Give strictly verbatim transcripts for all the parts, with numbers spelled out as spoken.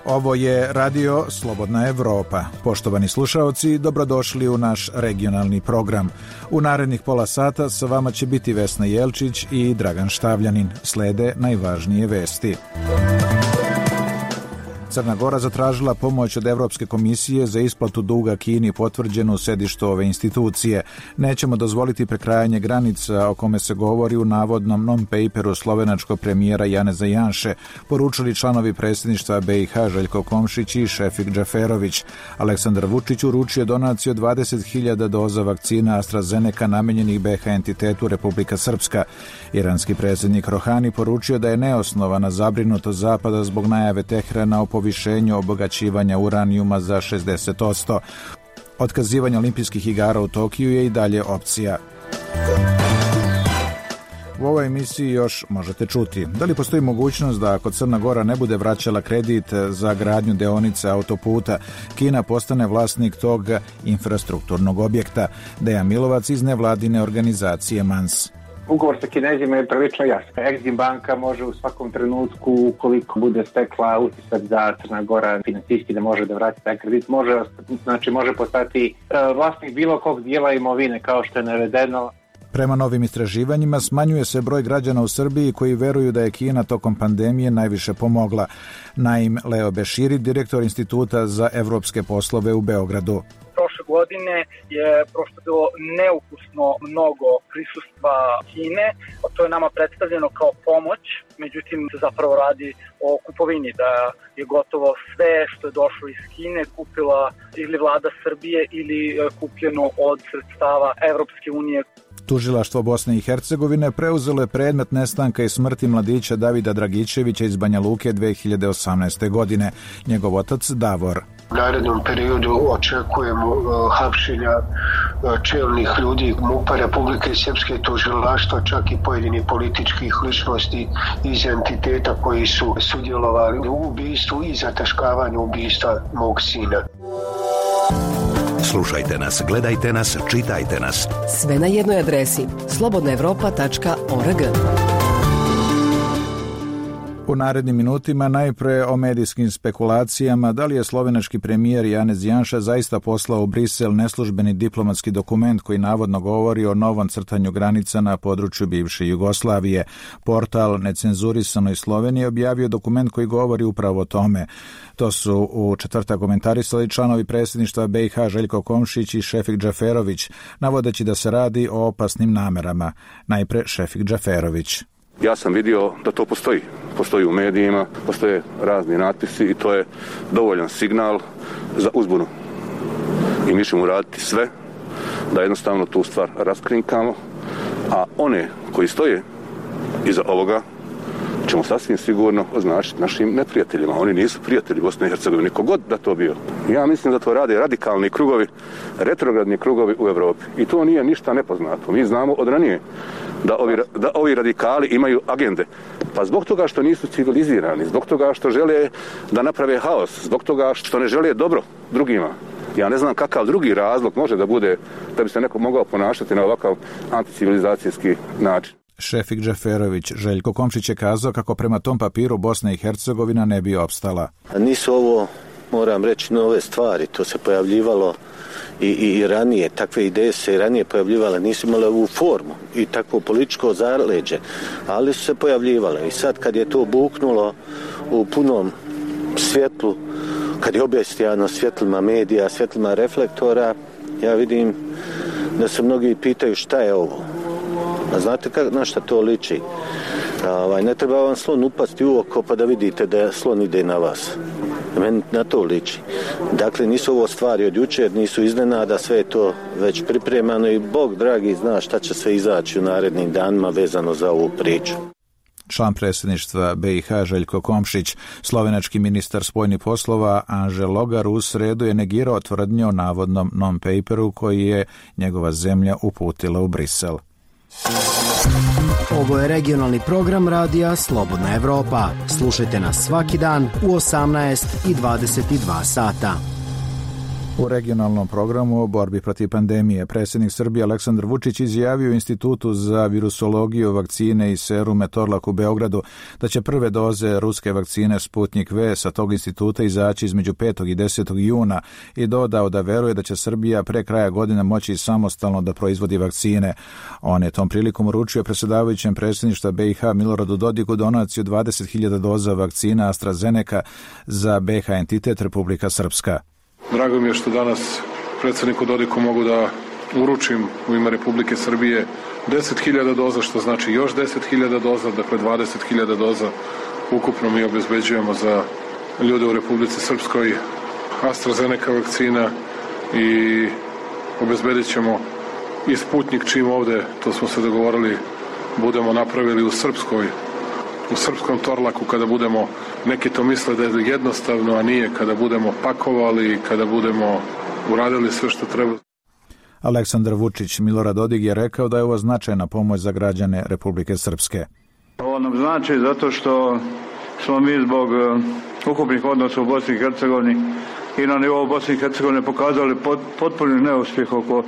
Ovo je radio Slobodna Evropa. Poštovani slušaoci, dobrodošli u naš regionalni program. U narednih pola sata sa vama će biti Vesna Jelčić i Dragan Štavljanin. Slede najvažnije vesti. Crna Gora zatražila pomoć od Evropske komisije za isplatu duga Kini potvrđenu u sedištu ove institucije. Nećemo dozvoliti prekrajanje granica o kome se govori u navodnom non-paperu slovenačkog premijera Janeza Janše, poručili članovi predsjedništva B i H Željko Komšić i Šefik Džaferović. Aleksandar Vučić uručio donaciju dvadeset hiljada doza vakcina AstraZeneca namenjenih B H entitetu Republika Srpska. Iranski predsjednik Rohani poručio da je neosnovana zabrinutost Zapada zbog najave Teherana o povišenju obogaćivanja uranijuma za šezdeset posto. Otkazivanje olimpijskih igara u Tokiju je i dalje opcija. U ovoj emisiji još možete čuti. Da li postoji mogućnost da ako Crna Gora ne bude vraćala kredit za gradnju deonice autoputa, Kina postane vlasnik tog infrastrukturnog objekta? Dejan Milovac iz nevladine organizacije M A N S. Ugovor sa Kinezima je prilično jasan. Exim banka može u svakom trenutku, ukoliko bude stekla utisak da Crna Gora financijski ne može da vrati taj kredit, može, znači može postati vlasnik bilo kog dijela imovine, kao što je navedeno. Prema novim istraživanjima smanjuje se broj građana u Srbiji koji veruju da je Kina tokom pandemije najviše pomogla. Naim Leo Beširi, direktor Instituta za evropske poslove u Beogradu. Prošle godine je prosto bilo neukusno mnogo prisustva Kine, a to je nama predstavljeno kao pomoć, međutim se zapravo radi o kupovini, da je gotovo sve što je došlo iz Kine kupila ili vlada Srbije ili kupljeno od sredstava Evropske unije. Tužilaštvo Bosne i Hercegovine preuzelo je predmet nestanka i smrti mladića Davida Dragičevića iz Banja Luke dve hiljade osamnaeste. godine. Njegov otac Davor. U narednom periodu očekujemo uh, hapšenja uh, čelnih ljudi M U P-a Republike Srpske, tužilaštva, čak i pojedinih političkih ličnosti iz entiteta koji su sudjelovali u ubistvu i zataškavanju ubistva mog sina. Slušajte nas, gledajte nas, čitajte nas. Sve na jednoj adresi slobodna evropa tačka org. U narednim minutima najpre o medijskim spekulacijama da li je slovenački premijer Janez Janša zaista poslao u Brisel neslužbeni diplomatski dokument koji navodno govori o novom crtanju granica na području bivše Jugoslavije. Portal Necenzurisanoj Sloveniji objavio dokument koji govori upravo o tome. To su u četvrtak komentarisali članovi predsjedništva B i H Željko Komšić i Šefik Džaferović, navodeći da se radi o opasnim namerama. Najpre Šefik Džaferović. Ja sam vidio da to postoji. Postoji u medijima, postoje razni natpisi i to je dovoljan signal za uzbunu. I mi ćemo uraditi sve da jednostavno tu stvar raskrinkamo, a one koji stoje iza ovoga ćemo sasvim sigurno označiti našim neprijateljima. Oni nisu prijatelji Bosne i Hercegovine, niko god da to bio. Ja mislim da to rade radikalni krugovi, retrogradni krugovi u Evropi. I to nije ništa nepoznato. Mi znamo od ranije da ovi, da ovi radikali imaju agende. Pa zbog toga što nisu civilizirani, zbog toga što žele da naprave haos, zbog toga što ne žele dobro drugima. Ja ne znam kakav drugi razlog može da bude da bi se neko mogao ponašati na ovakav anticivilizacijski način. Šefik Džaferović. Željko Komšić je kazao kako prema tom papiru Bosna i Hercegovina ne bi opstala. Nisu ovo, moram reći, nove stvari. To se pojavljivalo i, i, i ranije. Takve ideje se i ranije pojavljivale. Nisu imale ovu formu i takvo političko zaleđe. Ali su se pojavljivale. I sad kad je to buknulo u punom svjetlu, kad je objestajano svjetlima medija, svjetlima reflektora, ja vidim da se mnogi pitaju šta je ovo. A znate kak, na šta to liči? Ovaj, ne treba vam slon upasti u oko pa da vidite da slon ide na vas. Meni na to liči. Dakle, nisu ovo stvari od jučer, nisu iznenada, sve je to već pripremano i Bog dragi zna šta će sve izaći u narednim danima vezano za ovu priču. Član predsjedništva B i H Željko Komšić. Slovenački ministar spoljnih poslova Anže Logar u sredu je negirao tvrdnje o navodnom non-paperu koji je njegova zemlja uputila u Brisel. Ovo je regionalni program radija Slobodna Evropa. Slušajte nas svaki dan u osamnaest i dvadeset dva sata. U regionalnom programu o borbi protiv pandemije predsjednik Srbije Aleksandar Vučić izjavio Institutu za virusologiju, vakcine i serume Torlak u Beogradu da će prve doze ruske vakcine Sputnik V sa tog instituta izaći između petog i desetog juna i dodao da veruje da će Srbija pre kraja godine moći samostalno da proizvodi vakcine. On je tom prilikom uručio predsjedavajućem predsjedništva B i H Miloradu Dodiku donaciju dvadeset hiljada doza vakcina AstraZeneca za B i H entitet Republika Srpska. Drago mi je što danas predsjedniku Dodiku mogu da uručim u ime Republike Srbije deset hiljada doza, što znači još deset hiljada doza, dakle dvadeset hiljada doza ukupno mi obezbeđujemo za ljude u Republici Srpskoj AstraZeneca vakcina i obezbedit ćemo i Sputnik čim ovde, to smo se dogovorili, budemo napravili u Srpskoj, u srpskom Torlaku, kada budemo, neki to misle da je jednostavno, a nije, kada budemo pakovali, kada budemo uradili sve što treba. Aleksandar Vučić Milorad Dodik je rekao da je ovo značajna pomoć za građane Republike Srpske. Ovo nam znači zato što smo mi zbog ukupnih odnosa u Bosni i Hercegovini i na nivou Bosne i Hercegovine pokazali pot, potpuni neuspjeh oko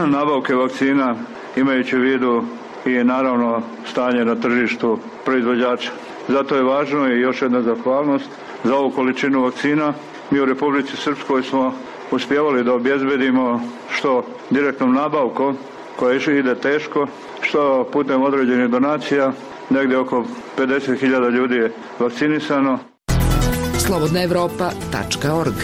nabavke vakcina, imajući u vidu i naravno stanje na tržištu proizvođača. Zato je važno i još jedna zahvalnost za ovu količinu vakcina. Mi u Republici Srpskoj smo uspjevali da obezbedimo što direktnom nabavkom, koja ide teško, što putem određenih donacija, negdje oko pedeset hiljada ljudi je vakcinisano. slobodna evropa tačka org.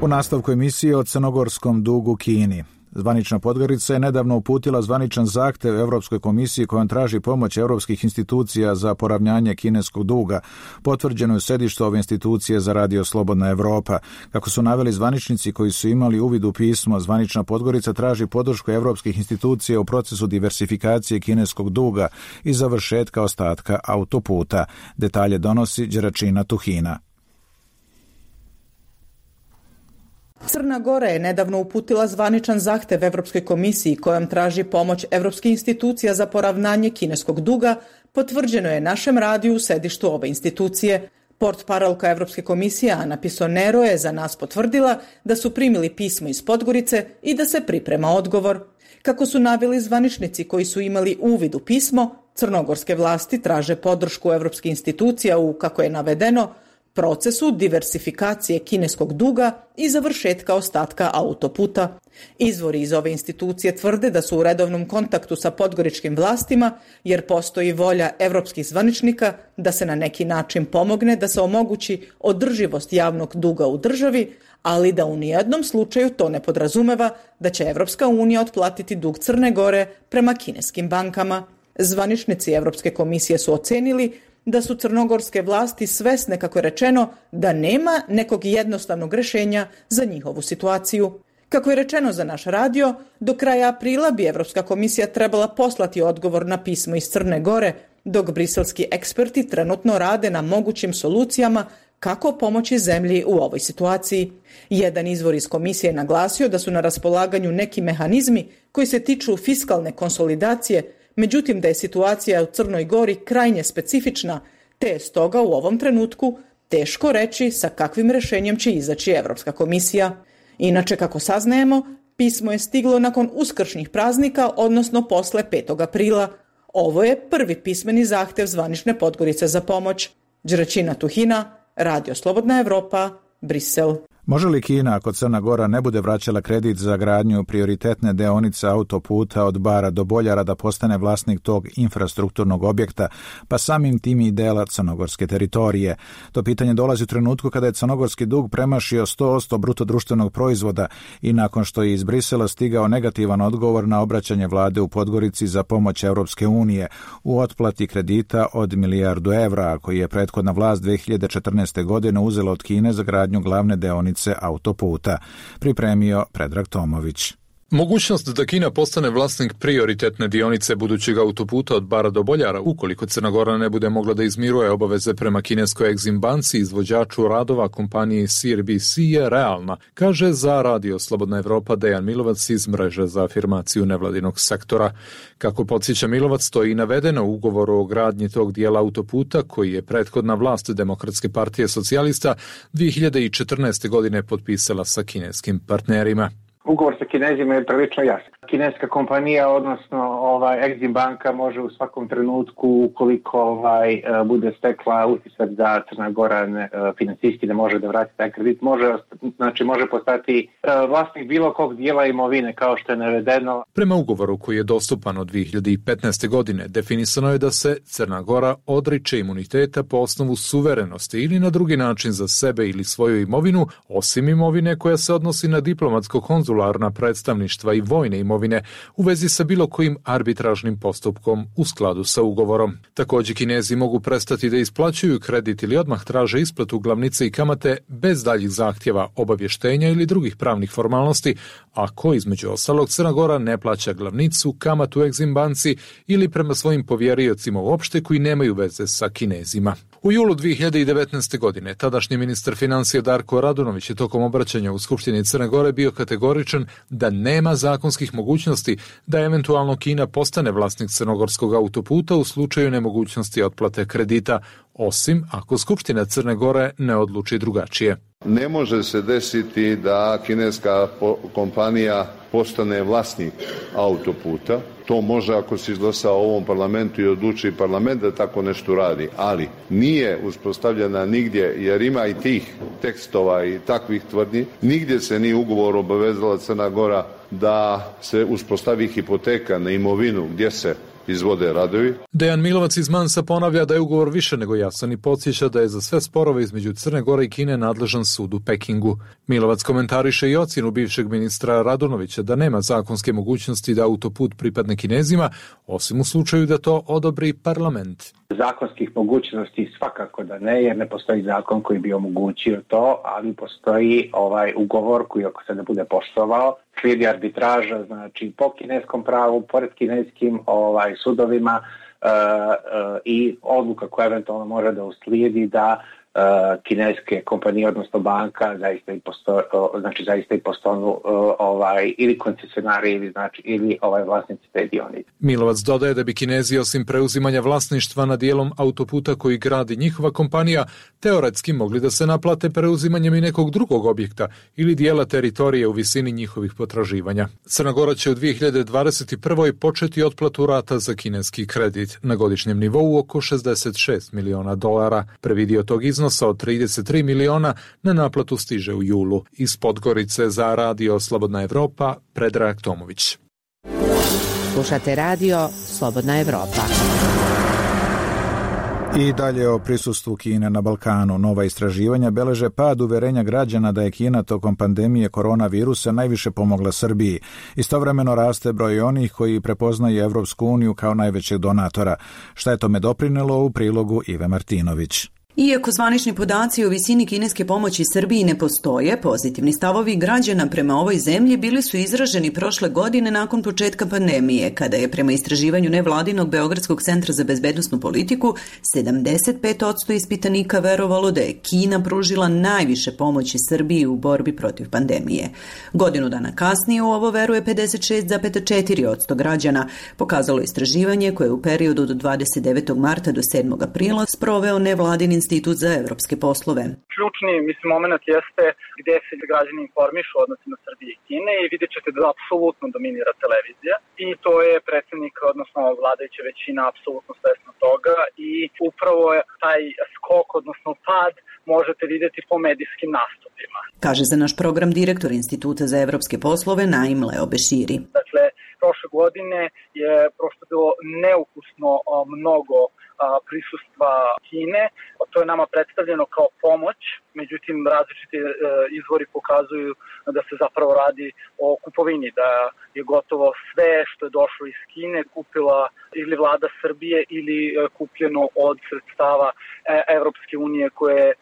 U nastavku emisije o crnogorskom dugu Kini. Zvanična Podgorica je nedavno uputila zvaničan zahtev Evropskoj komisiji kojom traži pomoć evropskih institucija za poravnjanje kineskog duga. Potvrđeno je sedište ove institucije za Radio Slobodna Evropa. Kako su naveli zvaničnici koji su imali uvid u pismo, zvanična Podgorica traži podršku evropskih institucija u procesu diversifikacije kineskog duga i završetka ostatka autoputa. Detalje donosi Đeračina Tuhina. Crna Gora je nedavno uputila zvaničan zahtev Evropskoj komisiji kojom traži pomoć evropskih institucija za poravnanje kineskog duga, potvrđeno je našem radiju u sedištu ove institucije. Portparolka Evropske komisije Ana Pisonero je za nas potvrdila da su primili pismo iz Podgorice i da se priprema odgovor. Kako su naveli zvaničnici koji su imali uvid u pismo, crnogorske vlasti traže podršku evropskih institucija u, kako je navedeno, procesu diversifikacije kineskog duga i završetka ostatka autoputa. Izvori iz ove institucije tvrde da su u redovnom kontaktu sa podgoričkim vlastima, jer postoji volja evropskih zvaničnika da se na neki način pomogne da se omogući održivost javnog duga u državi, ali da u nijednom slučaju to ne podrazumeva da će Evropska unija otplatiti dug Crne Gore prema kineskim bankama. Zvaničnici Evropske komisije su ocenili da su crnogorske vlasti svesne, kako je rečeno, da nema nekog jednostavnog rješenja za njihovu situaciju. Kako je rečeno za naš radio, do kraja aprila bi Evropska komisija trebala poslati odgovor na pismo iz Crne Gore, dok briselski eksperti trenutno rade na mogućim solucijama kako pomoći zemlji u ovoj situaciji. Jedan izvor iz komisije je naglasio da su na raspolaganju neki mehanizmi koji se tiču fiskalne konsolidacije, međutim da je situacija u Crnoj Gori krajnje specifična, te je stoga u ovom trenutku teško reći sa kakvim rješenjem će izaći Evropska komisija. Inače, kako saznajemo, pismo je stiglo nakon uskršnjih praznika, odnosno posle petog aprila. Ovo je prvi pismeni zahtev zvanične Podgorice za pomoć. Đeračina Tuhina, Radio Slobodna Evropa, Brisel. Može li Kina, ako Crna Gora ne bude vraćala kredit za gradnju prioritetne deonice autoputa od Bara do Boljara, da postane vlasnik tog infrastrukturnog objekta, pa samim tim i dela crnogorske teritorije? To pitanje dolazi u trenutku kada je crnogorski dug premašio sto posto bruto društvenog proizvoda i nakon što je iz Brisela stigao negativan odgovor na obraćanje vlade u Podgorici za pomoć Evropske unije u otplati kredita od milijardu evra, koji je prethodna vlast dve hiljade četrnaeste. godine uzela od Kine za gradnju glavne deonice autoputa. Pripremio Predrag Tomović. Mogućnost da Kina postane vlasnik prioritetne dionice budućeg autoputa od Bara do Boljara, ukoliko Crna Gora ne bude mogla da izmiruje obaveze prema kineskoj Exim banci, izvođaču radova kompaniji C R B C, je realna, kaže za Radio Slobodna Evropa Dejan Milovac iz mreže za afirmaciju nevladinog sektora. Kako podsjeća Milovac, to je i navedeno u ugovoru o gradnji tog dijela autoputa koji je prethodna vlast Demokratske partije socijalista dvije hiljade četrnaeste. godine potpisala sa kineskim partnerima. Ugovor sa Kinezima je prilično jasan. Kineska kompanija, odnosno ovaj Exim banka, može u svakom trenutku, ukoliko ovaj bude stekla utisak da Crna Gora ne, financijski ne može da vrati taj kredit, može, znači može postati vlasnik bilo kog dijela imovine, kao što je navedeno. Prema ugovoru koji je dostupan od dvije hiljade petnaeste. godine, definisano je da se Crna Gora odriče imuniteta po osnovu suverenosti ili na drugi način za sebe ili svoju imovinu, osim imovine koja se odnosi na diplomatsko-konzularna predstavništva i vojne imovine u vezi sa bilo kojim arbitražnim postupkom u skladu sa ugovorom. Također Kinezi mogu prestati da isplaćuju kredit ili odmah traže isplatu glavnice i kamate bez daljih zahtjeva, obavještenja ili drugih pravnih formalnosti, ako između ostalog Crna Gora ne plaća glavnicu, kamatu Exim banci ili prema svojim povjeriocima uopšte koji nemaju veze sa Kinezima. U julu dvije hiljade devetnaeste. godine tadašnji ministar financija Darko Radunović je tokom obraćanja u Skupštini Crne Gore bio kategoričan da nema zakonskih mogućnosti da eventualno Kina postane vlasnik crnogorskog autoputa u slučaju nemogućnosti otplate kredita, osim ako Skupština Crne Gore ne odluči drugačije. Ne može se desiti da kineska kompanija postane vlasnik autoputa. To može ako se izglasa u ovom parlamentu i odluči parlament da tako nešto radi, ali nije uspostavljena nigdje, jer ima i tih tekstova i takvih tvrdnji, nigdje se nije ugovor obavezala Crna Gora da se uspostavi hipoteka na imovinu gdje se izvode radovi. Dejan Milovac iz Mansa ponavlja da je ugovor više nego jasan i podsjeća da je za sve sporove između Crne Gore i Kine nadležan sud u Pekingu. Milovac komentariše i ocjenu bivšeg ministra Radunovića da nema zakonske mogućnosti da autoput pripadne Kinezima, osim u slučaju da to odobri parlament. Zakonskih mogućnosti svakako da ne, jer ne postoji zakon koji bi omogućio to, ali postoji ovaj ugovor koji ako se ne bude poštovao, slijedi arbitraža, znači po kineskom pravu, pored kineskim ovaj sudovima uh, uh, i odluka koja eventualno može da uslijedi da Uh, kineske kompanije, odnosno banka, zaista i posto, uh, znači zaista i postanu uh, ovaj ili koncesionari ili znači ili ovaj vlasnici te dionice. Milovac dodaje da bi Kinezi osim preuzimanja vlasništva na dijelom autoputa koji gradi njihova kompanija teoretski mogli da se naplate preuzimanjem i nekog drugog objekta ili dijela teritorije u visini njihovih potraživanja. Crna Gora će u dvije hiljade dvadeset prve. početi otplatu rata za kineski kredit na godišnjem nivou oko šezdeset šest miliona dolara. Prvi dio tog iznosa od trideset tri miliona na naplatu stiže u julu. Iz Podgorice za Radio Slobodna Evropa, Predrag Tomović. Slušate Radio Slobodna Evropa. I dalje o prisustvu Kine na Balkanu. Nova istraživanja beleže pad uverenja građana da je Kina tokom pandemije koronavirusa najviše pomogla Srbiji. Istovremeno raste broj onih koji prepoznaju Evropsku uniju kao najvećeg donatora. Šta je tome doprinelo u prilogu Ive Martinović? Iako zvanični podaci o visini kineske pomoći Srbiji ne postoje, pozitivni stavovi građana prema ovoj zemlji bili su izraženi prošle godine nakon početka pandemije, kada je prema istraživanju nevladinog Beogradskog centra za bezbednosnu politiku sedamdeset pet posto ispitanika verovalo da je Kina pružila najviše pomoći Srbiji u borbi protiv pandemije. Godinu dana kasnije u ovo veruje pedeset šest zarez četiri posto građana, pokazalo istraživanje koje je u periodu od dvadeset devetog marta do sedmog aprila sproveo nevladin Institut za evropske poslove. Ključni, mislim, moment jeste gdje se građani informišu o odnosima Srbije i Kine i vidjet ćete da apsolutno dominira televizija i to je predsjednik, odnosno vladajuća većina apsolutno svesna toga i upravo je taj skok, odnosno pad, možete vidjeti po medijskim nastupima. Kaže za naš program direktor Instituta za evropske poslove Naim Leo Beširi. Dakle, prošle godine je prosto bilo neukusno mnogo prisustva Kine. To je nama predstavljeno kao pomoć, međutim različiti izvori pokazuju da se zapravo radi o kupovini, da je gotovo sve što je došlo iz Kine kupila ili vlada Srbije ili kupljeno od sredstava Evropske unije koje je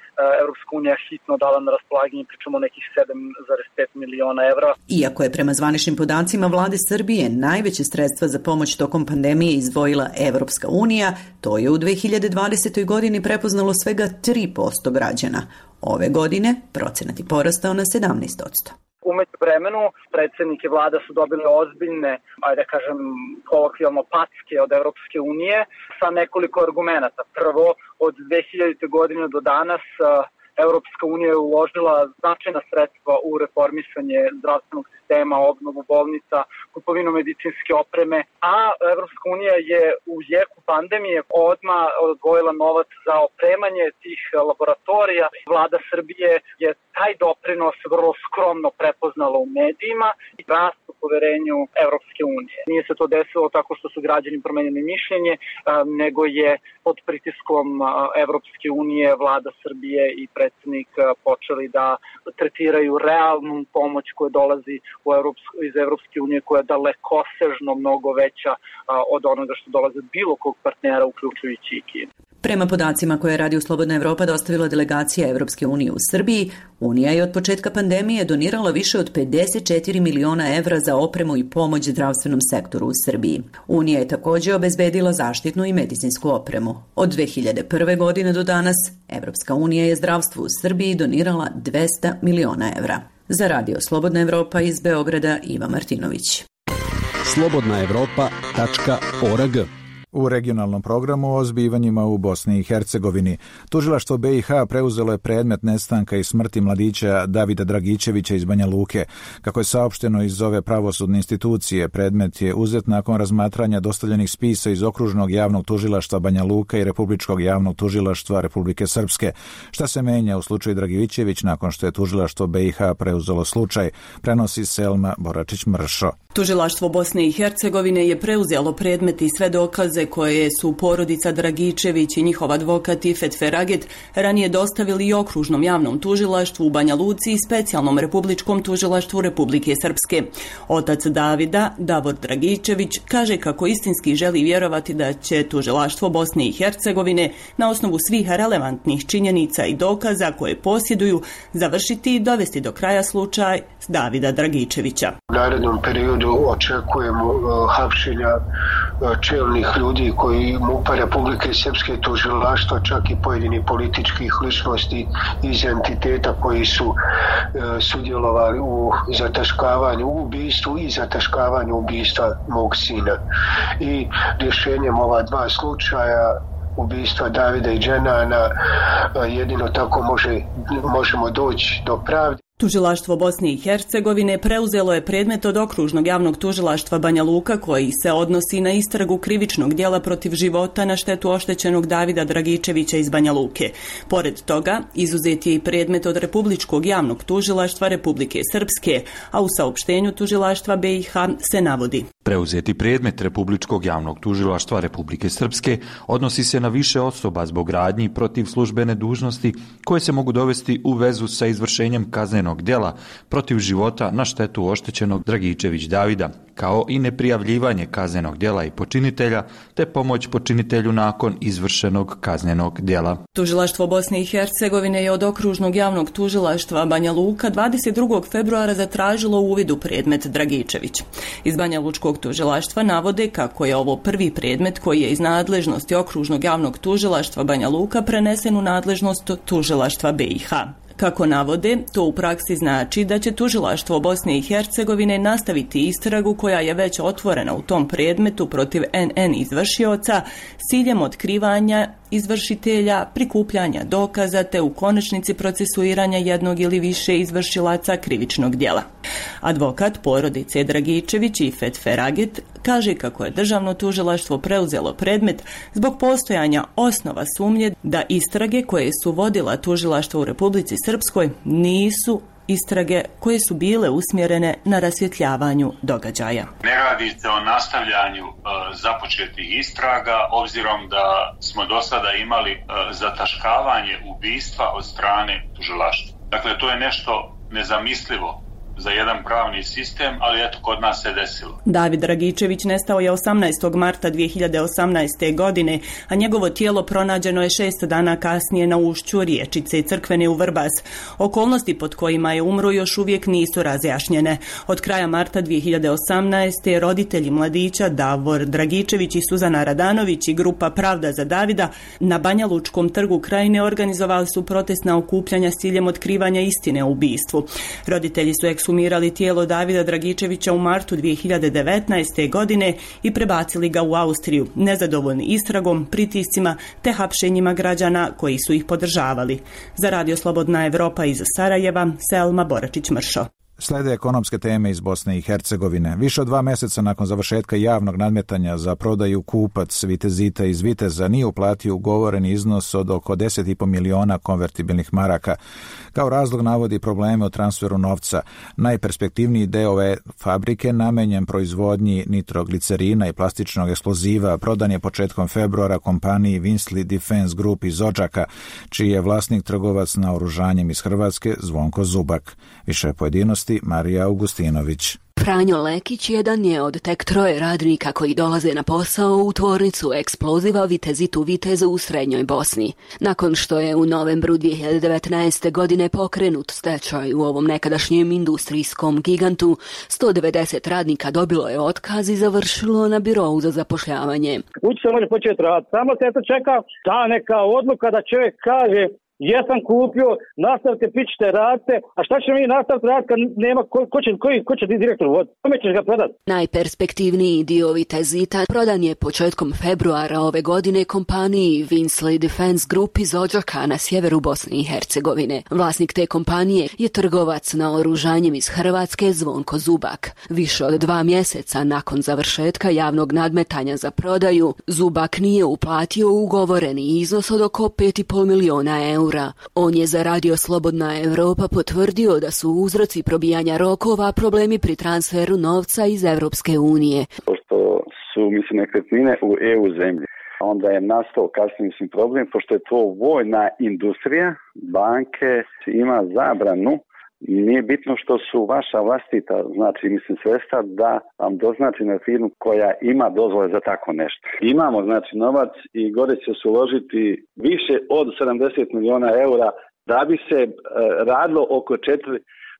Evropska unija hitno dala na raspolaganje, pričamo o nekih sedam zarez pet miliona evra. Iako je prema zvaničnim podacima vlade Srbije najveće sredstva za pomoć tokom pandemije izdvojila Evropska unija, to je u dve hiljade dvadesetoj godini prepoznalo svega tri posto građana. Ove godine procenat je porastao na sedamnaest posto. Umeđu vremenu predsjednik i vlada su dobili ozbiljne, ajde da kažem kolokvijalno, packe od Evropske unije sa nekoliko argumenata. Prvo, od dve hiljadite godine do danas Evropska unija je uložila značajna sredstva u reformisanje zdravstvenog sistema, obnovu bolnica, kupovinu medicinske opreme, a Evropska unija je u jeku pandemije odmah odvojila novac za opremanje tih laboratorija. Vlada Srbije je taj doprinos vrlo skromno prepoznala u medijima i rast u poverenju Evropske unije. Nije se to desilo tako što su građani promenili mišljenje, nego je pod pritiskom Evropske unije vlada Srbije i predsjednik počeli da tretiraju realnu pomoć koja dolazi u Evropsku, iz Evropske unije, koja je dalekosežno mnogo veća od onoga što dolaze bilo kog partnera, uključujući i Kinu. Prema podacima koje je Radio Slobodna Evropa dostavila delegacija Evropske unije u Srbiji, Unija je od početka pandemije donirala više od pedeset četiri miliona evra za opremu i pomoć zdravstvenom sektoru u Srbiji. Unija je također obezbedila zaštitnu i medicinsku opremu. Od dve hiljade prve. godine do danas, Evropska unija je zdravstvu u Srbiji donirala dvesta miliona evra. Za Radio Slobodna Evropa iz Beograda, Iva Martinović. slobodna evropa tačka org. U regionalnom programu o zbivanjima u Bosni i Hercegovini. Tužilaštvo B i H preuzelo je predmet nestanka i smrti mladića Davida Dragičevića iz Banja Luke. Kako je saopšteno iz ove pravosudne institucije, predmet je uzet nakon razmatranja dostavljenih spisa iz Okružnog javnog tužilaštva Banja Luka i Republičkog javnog tužilaštva Republike Srpske. Šta se menja u slučaju Dragičević nakon što je tužilaštvo B i H preuzelo slučaj, prenosi Selma Boračić-Mršo. Tužilaštvo Bosne i Hercegovine je preuzelo predmet i sve dokaze koje su porodica Dragičević i njihov advokat Ifet Feraget ranije dostavili i Okružnom javnom tužilaštvu u Banja Luci i Specijalnom republičkom tužilaštvu Republike Srpske. Otac Davida, Davor Dragičević, kaže kako istinski želi vjerovati da će tužilaštvo Bosne i Hercegovine na osnovu svih relevantnih činjenica i dokaza koje posjeduju završiti i dovesti do kraja slučaj Davida Dragičevića. U narednom periodu očekujemo uh, hapšenja uh, čelnih ljudi koji MUP-a Republike Srpske, tužilaštva, čak i pojedini političkih ličnosti iz entiteta koji su uh, sudjelovali u zataškavanju u ubistvu i zataškavanju ubistva mog sina. I rješenjem ova dva slučaja, ubistva Davida i Dženana, uh, jedino tako može, možemo doći do pravde. Tužilaštvo Bosne i Hercegovine preuzelo je predmet od Okružnog javnog tužilaštva Banja Luka koji se odnosi na istragu krivičnog djela protiv života na štetu oštećenog Davida Dragičevića iz Banja Luke. Pored toga, izuzet je i predmet od Republičkog javnog tužilaštva Republike Srpske, a u saopštenju tužilaštva B i H se navodi: preuzeti predmet Republičkog javnog tužilaštva Republike Srpske odnosi se na više osoba zbog radnji protiv službene dužnosti koje se mogu dovesti u vezu sa izvršenjem kaznenog djela protiv života na štetu oštećenog Dragičević Davida, kao i neprijavljivanje kaznenog djela i počinitelja, te pomoć počinitelju nakon izvršenog kaznenog djela. Tužilaštvo Bosne i Hercegovine je od Okružnog javnog tužilaštva Banja Luka dvadeset drugog februara zatražilo uvid u predmet Dragičević. Iz Banja Lučkog tužilaštva navode kako je ovo prvi predmet koji je iz nadležnosti Okružnog javnog tužilaštva Banja Luka prenesen u nadležnost tužilaštva B i H. Kako navode, to u praksi znači da će tužilaštvo Bosne i Hercegovine nastaviti istragu koja je već otvorena u tom predmetu protiv en en izvršioca s ciljem otkrivanja izvršitelja, prikupljanja dokaza te u konačnici procesuiranja jednog ili više izvršilaca krivičnog djela. Advokat porodice Dragičević Ifet Feraget kaže kako je državno tužilaštvo preuzelo predmet zbog postojanja osnova sumnje da istrage koje su vodila tužilaštvo u Republici Srpskoj nisu istrage koje su bile usmjerene na rasvjetljavanju događaja. Ne radi se o nastavljanju e, započetih istraga, obzirom da smo do sada imali e, zataškavanje ubistva od strane tužilaštva. Dakle, to je nešto nezamislivo za jedan pravni sistem, ali eto, kod nas se desilo. David Dragičević nestao je osamnaestog marta dvije hiljade osamnaeste. godine, a njegovo tijelo pronađeno je šest dana kasnije na ušću riječice Crkvene u Vrbas. Okolnosti pod kojima je umro još uvijek nisu razjašnjene. Od kraja marta dvije hiljade osamnaeste. roditelji mladića Davor Dragičević i Suzana Radanović i grupa Pravda za Davida na Banja Lučkom trgu Krajine organizovali su protestna okupljanja s ciljem otkrivanja istine o ubistvu. Roditelji su ekshumirali tijelo Davida Dragičevića u martu dvije hiljade devetnaeste. godine i prebacili ga u Austriju, nezadovoljni istragom, pritiscima te hapšenjima građana koji su ih podržavali. Za Radio Slobodna Evropa iz Sarajeva, Selma Boračić-Mršo. Slede ekonomske teme iz Bosne i Hercegovine. Više od dva mjeseca nakon završetka javnog nadmetanja za prodaju kupac Vitezita iz Viteza nije uplatio ugovoreni iznos od oko deset i po miliona konvertibilnih maraka. Kao razlog navodi probleme u transferu novca. Najperspektivniji deo ove fabrike, namenjen proizvodnji nitroglicerina i plastičnog eksploziva, prodan je početkom februara kompaniji Winsley Defense Group iz Odžaka, čiji je vlasnik trgovac naoružanjem iz Hrvatske Zvonko Zubak. Više pojedinosti Marija Augustinović. Franjo Lekić jedan je od tek troje radnika koji dolaze na posao u tvornicu eksploziva Vitezitu Viteza u Srednjoj Bosni. Nakon što je u novembru dvije hiljade devetnaeste. godine pokrenut stečaj u ovom nekadašnjem industrijskom gigantu, sto devedeset radnika dobilo je otkaz i završilo na birou za zapošljavanje. Ući se može početi raditi, samo se to čeka ta neka odluka da čovjek kaže jesam kupio, nastavite, pićite, radite, a šta će mi nastaviti raditi kad nema, ko, ko, će, koji, ko će ti direktor voditi? Kome ćeš ga prodati? Najperspektivniji dio Vitezita prodan je početkom februara ove godine kompaniji Winsley Defense Group iz Odžaka na sjeveru Bosne i Hercegovine. Vlasnik te kompanije je trgovac naoružanjem iz Hrvatske Zvonko Zubak. Više od dva mjeseca nakon završetka javnog nadmetanja za prodaju, Zubak nije uplatio ugovoreni iznos od oko pet i pol miliona eura. On je za Radio Slobodna Evropa potvrdio da su uzroci probijanja rokova problemi pri transferu novca iz Evropske unije. Pošto su, mislim, nekretnine u E U zemlji, onda je nastao kasnije, mislim, problem, pošto je to vojna industrija, banke ima zabranu. Nije bitno što su vaša vlastita, znači, mislim, sredstva da vam doznači na firmu koja ima dozvole za tako nešto. Imamo, znači, novac i gore će se uložiti više od sedamdeset miliona eura da bi se e, radilo oko četiri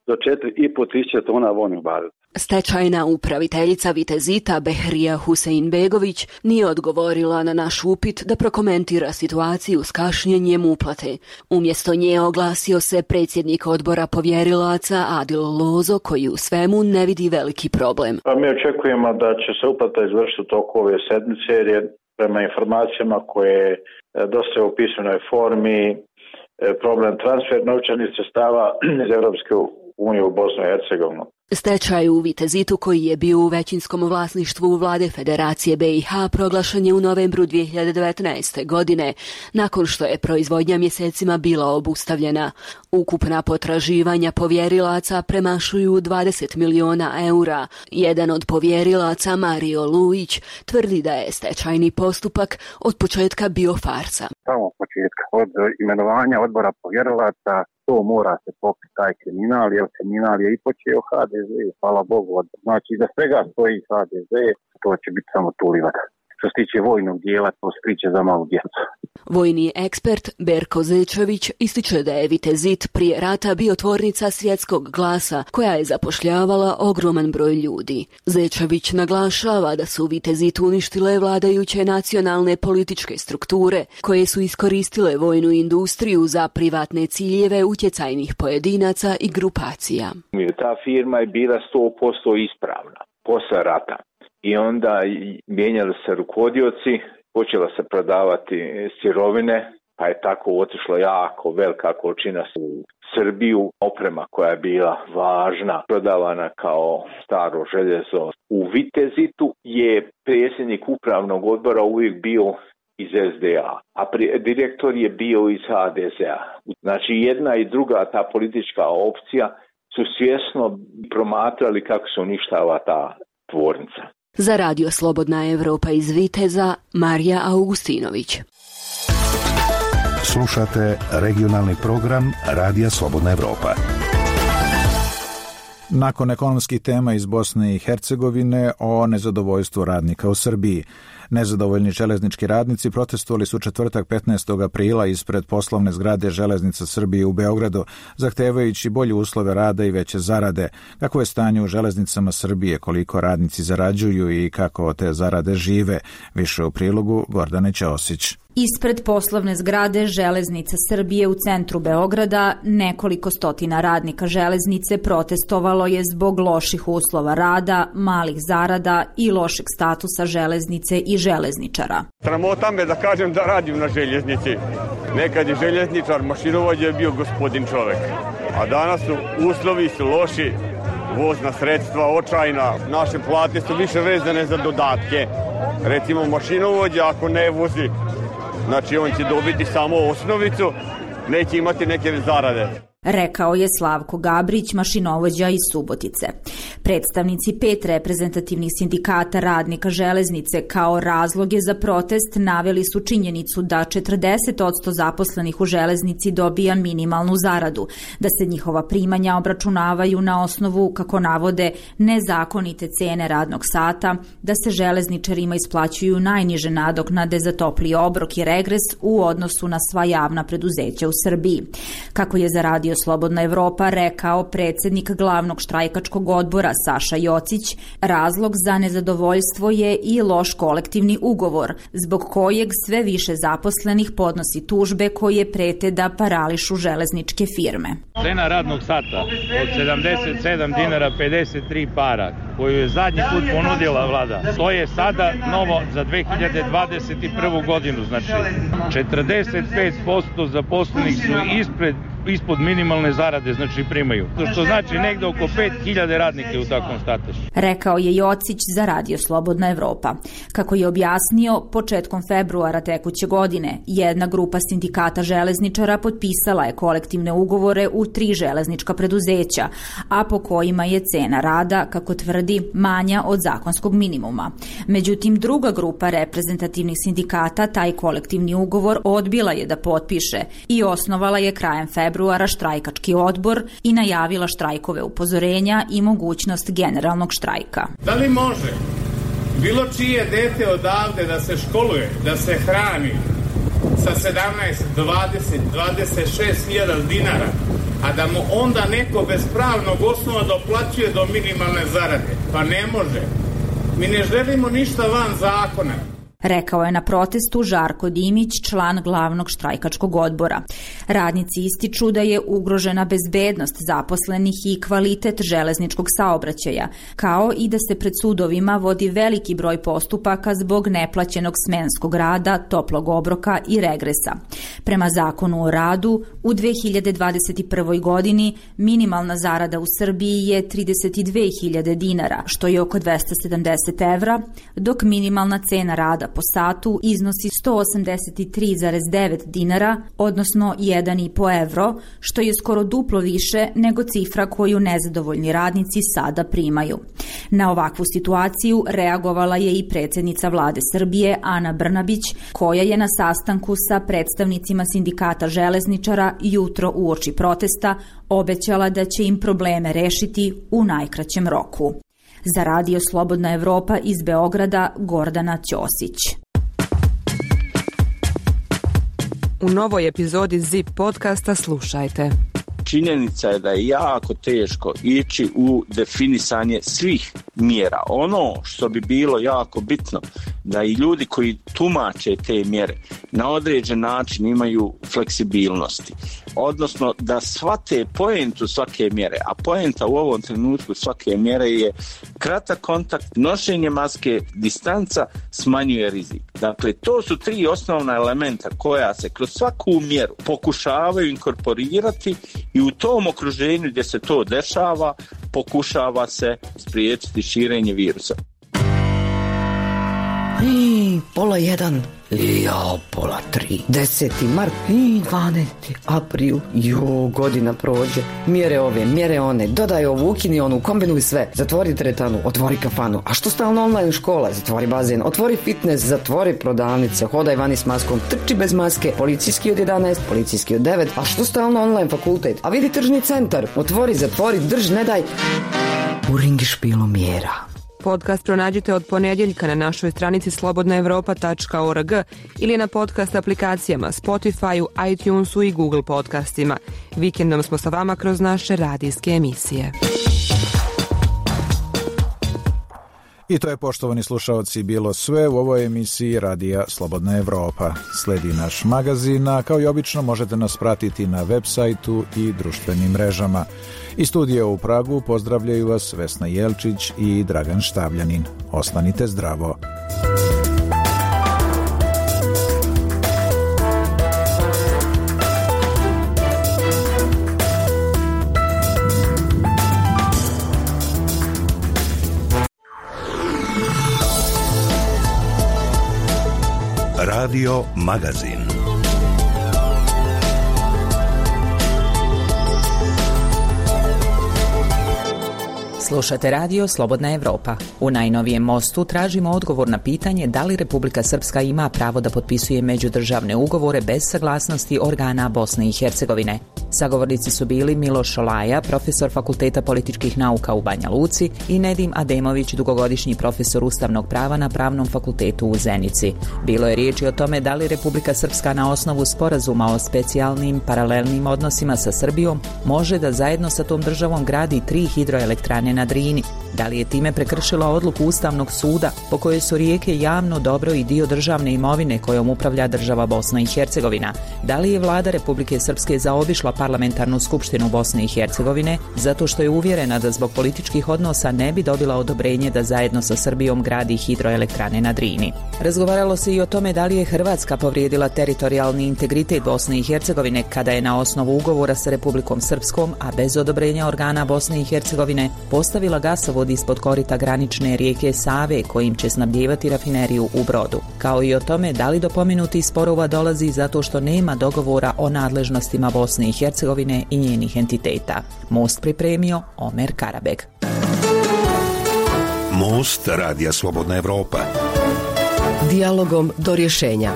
do četiri i po tisuće tona vojnog baruta. Stečajna upraviteljica Vitezita Behrija Huseinbegović nije odgovorila na naš upit da prokomentira situaciju s kašnjenjem uplate. Umjesto nje oglasio se predsjednik odbora povjerilaca Adil Lozo, koji u svemu ne vidi veliki problem. Pa mi očekujemo da će se uplata izvršiti u toku ove sedmice, jer je prema informacijama koje dosta u pisanoj formi problem transfer novčanih sredstava iz Europske unije u Bosnu i Hercegovinu. Stečaj u Vitezitu, koji je bio u većinskom vlasništvu vlade Federacije B i H, proglašen je u novembru dvije hiljade devetnaeste. godine, nakon što je proizvodnja mjesecima bila obustavljena. Ukupna potraživanja povjerilaca premašuju dvadeset miliona eura. Jedan od povjerilaca, Mario Luić, tvrdi da je stečajni postupak od početka bio farsa. Samo od početka, od imenovanja odbora povjerilaca, to mora se pokriti taj kriminal, jer kriminal je i počeo H D Z, hvala Bogu. Znači, da svega stoji H D Z, to će biti samo tu livada. Što se tiče vojnog dijela, to se priče za malu djecu. Vojni ekspert Berko Zečević ističe da je Vitezit prije rata bio tvornica Svjetskog glasa, koja je zapošljavala ogroman broj ljudi. Zečević naglašava da su Vitezit uništile vladajuće nacionalne političke strukture, koje su iskoristile vojnu industriju za privatne ciljeve utjecajnih pojedinaca i grupacija. Ta firma je bila sto posto ispravna posle rata. I onda mijenjali se rukovodioci, počela se prodavati sirovine, pa je tako otišlo jako velika količina u Srbiju, oprema koja je bila važna, prodavana kao staro željezo. U Vitezitu je predsjednik upravnog odbora uvijek bio iz S D A, a direktor je bio iz H D Z-a. Znači, jedna i druga ta politička opcija su svjesno promatrali kako se uništava ta tvornica. Za Radio Slobodna Evropa iz Viteza, Marija Augustinović. Slušate regionalni program Radija Slobodna Evropa. Nakon ekonomskih tema iz Bosne i Hercegovine o nezadovoljstvu radnika u Srbiji. Nezadovoljni železnički radnici protestovali su četvrtak petnaestog aprila ispred poslovne zgrade Železnica Srbije u Beogradu, zahtevajući bolje uslove rada i veće zarade. Kako je stanje u železnicama Srbije, koliko radnici zarađuju i kako te zarade žive? Više u prilogu Gordane Ćosić. Ispred poslovne zgrade Železnica Srbije u centru Beograda nekoliko stotina radnika železnice protestovalo je zbog loših uslova rada, malih zarada i lošeg statusa železnice i železničara. Sramota me da kažem da radim na željeznici. Nekad je željezničar, mašinovođa je bio gospodin čovek. A danas su uslovi su loši, vozna sredstva očajna, naše plate su više vezane za dodatke. Recimo mašinovođa ako ne vozi, znači on će dobiti samo osnovicu, neće imati neke zarade. Rekao je Slavko Gabrić, mašinovođa iz Subotice. Predstavnici pet reprezentativnih sindikata radnika železnice kao razloge za protest naveli su činjenicu da četrdeset posto zaposlenih u železnici dobija minimalnu zaradu, da se njihova primanja obračunavaju na osnovu, kako navode, nezakonite cene radnog sata, da se železničarima isplaćuju najniže nadoknade za topli obrok i regres u odnosu na sva javna preduzeća u Srbiji. Kako je za Radio Slobodna Evropa rekao predsjednik glavnog štrajkačkog odbora Saša Jocić, razlog za nezadovoljstvo je i loš kolektivni ugovor, zbog kojeg sve više zaposlenih podnosi tužbe koje prete da parališu železničke firme. Cena radnog sata od sedamdeset sedam dinara pedeset tri para, koju je zadnji put ponudila vlada, to je sada novo za dve hiljade dvadeset prvu godinu, znači četrdeset pet posto zaposlenih su ispred ispod minimalne zarade, znači primaju. Što znači negde oko pet hiljada radnika u takvom statusu. Rekao je Jocić za Radio Slobodna Evropa. Kako je objasnio, početkom februara tekuće godine jedna grupa sindikata železničara potpisala je kolektivne ugovore u tri železnička preduzeća, a po kojima je cena rada, kako tvrdi, manja od zakonskog minimuma. Međutim, druga grupa reprezentativnih sindikata taj kolektivni ugovor odbila je da potpiše i osnovala je krajem februara februara štrajkački odbor i najavila štrajkove upozorenja i mogućnost generalnog štrajka. Da li može bilo čije dete odavde da se školuje, da se hrani sa sedamnaest, dvadeset, dvadeset šest hiljada dinara, a da mu onda neko bez pravnog osnova doplaćuje do minimalne zarade? Pa ne može. Mi ne želimo ništa van zakona. Rekao je na protestu Žarko Dimić, član glavnog štrajkačkog odbora. Radnici ističu da je ugrožena bezbednost zaposlenih i kvalitet železničkog saobraćaja, kao i da se pred sudovima vodi veliki broj postupaka zbog neplaćenog smenskog rada, toplog obroka i regresa. Prema zakonu o radu, u dve hiljade dvadeset prvoj godini minimalna zarada u Srbiji je trideset dve hiljade dinara, što je oko dvesta sedamdeset evra, dok minimalna cena rada po satu iznosi sto osamdeset tri zarez devet dinara, odnosno jedan i po evro, što je skoro duplo više nego cifra koju nezadovoljni radnici sada primaju. Na ovakvu situaciju reagovala je i predsjednica vlade Srbije Ana Brnabić, koja je na sastanku sa predstavnicima sindikata železničara jutro uoči protesta obećala da će im probleme rešiti u najkraćem roku. Za Radio Slobodna Evropa iz Beograda, Gordana Ćosić. U novoj epizodi Zip podcasta slušajte. Činjenica je da je jako teško ići u definisanje svih mjera. Ono što bi bilo jako bitno, da i ljudi koji tumače te mjere na određen način imaju fleksibilnosti. Odnosno da shvate poentu svake mjere, a poenta u ovom trenutku svake mjere je kratak kontakt, nošenje maske, distanca smanjuje rizik. Dakle, to su tri osnovna elementa koja se kroz svaku mjeru pokušavaju inkorporirati i u tom okruženju gdje se to dešava pokušava se spriječiti širenje virusa. I, pola jedan. Lijao, pola tri. Deseti mart i dvanesti april. Jo, godina prođe. Mjere ove, mjere one. Dodaj ovu, ukini onu, kombinuj sve. Zatvori teretanu, otvori kafanu. A što stalno online škola? Zatvori bazen, otvori fitness, zatvori prodavnice. Hodaj vani s maskom, trči bez maske. Policijski od jedanaest, policijski od devet. A što stalno online fakultet? A vidi tržni centar. Otvori, zatvori, drž, ne daj. U ringišpilu mjera. Podcast pronađite od ponedjeljka na našoj stranici slobodna evropa tačka org ili na podcast aplikacijama Spotify, iTunesu i Google podcastima. Vikendom smo sa vama kroz naše radijske emisije. I to je, poštovani slušalci, bilo sve u ovoj emisiji Radija Slobodna Evropa. Sledi naš magazin, a kao i obično možete nas pratiti na web sajtu i društvenim mrežama. Iz studija u Pragu pozdravljaju vas Vesna Jelčić i Dragan Štavljanin. Ostanite zdravo. Radio Magazin. Slušate radio Slobodna Evropa. U najnovijem mostu tražimo odgovor na pitanje da li Republika Srpska ima pravo da potpisuje međudržavne ugovore bez saglasnosti organa Bosne i Hercegovine. Sagovornici su bili Miloš Šolaja, profesor Fakulteta političkih nauka u Banja Luci, i Nedim Ademović, dugogodišnji profesor ustavnog prava na Pravnom fakultetu u Zenici. Bilo je riječi o tome da li Republika Srpska na osnovu sporazuma o specijalnim paralelnim odnosima sa Srbijom može da zajedno sa tom državom gradi tri hidroelektrane na Drini. Da li je time prekršila odluku Ustavnog suda po kojoj su rijeke javno dobro i dio državne imovine kojom upravlja država Bosna i Hercegovina? Da li je vlada Republike Srpske zaobišla parlamentarnu skupštinu Bosne i Hercegovine zato što je uvjerena da zbog političkih odnosa ne bi dobila odobrenje da zajedno sa Srbijom gradi hidroelektrane na Drini? Razgovaralo se i o tome da li je Hrvatska povrijedila teritorijalni integritet Bosne i Hercegovine kada je na osnovu ugovora sa Republikom Srpskom, a bez odobrenja organa Bosne i Hercegovine, postavila gasovod ispod korita granične rijeke Save kojim će snabdijevati rafineriju u Brodu. Kao i o tome da li do pomenutih sporova dolazi zato što nema dogovora o nadležnostima Bosne i Hercegovine i njenih entiteta. Most pripremio Omer Karabeg. Most Radija Slobodna Evropa. Dijalogom do rješenja.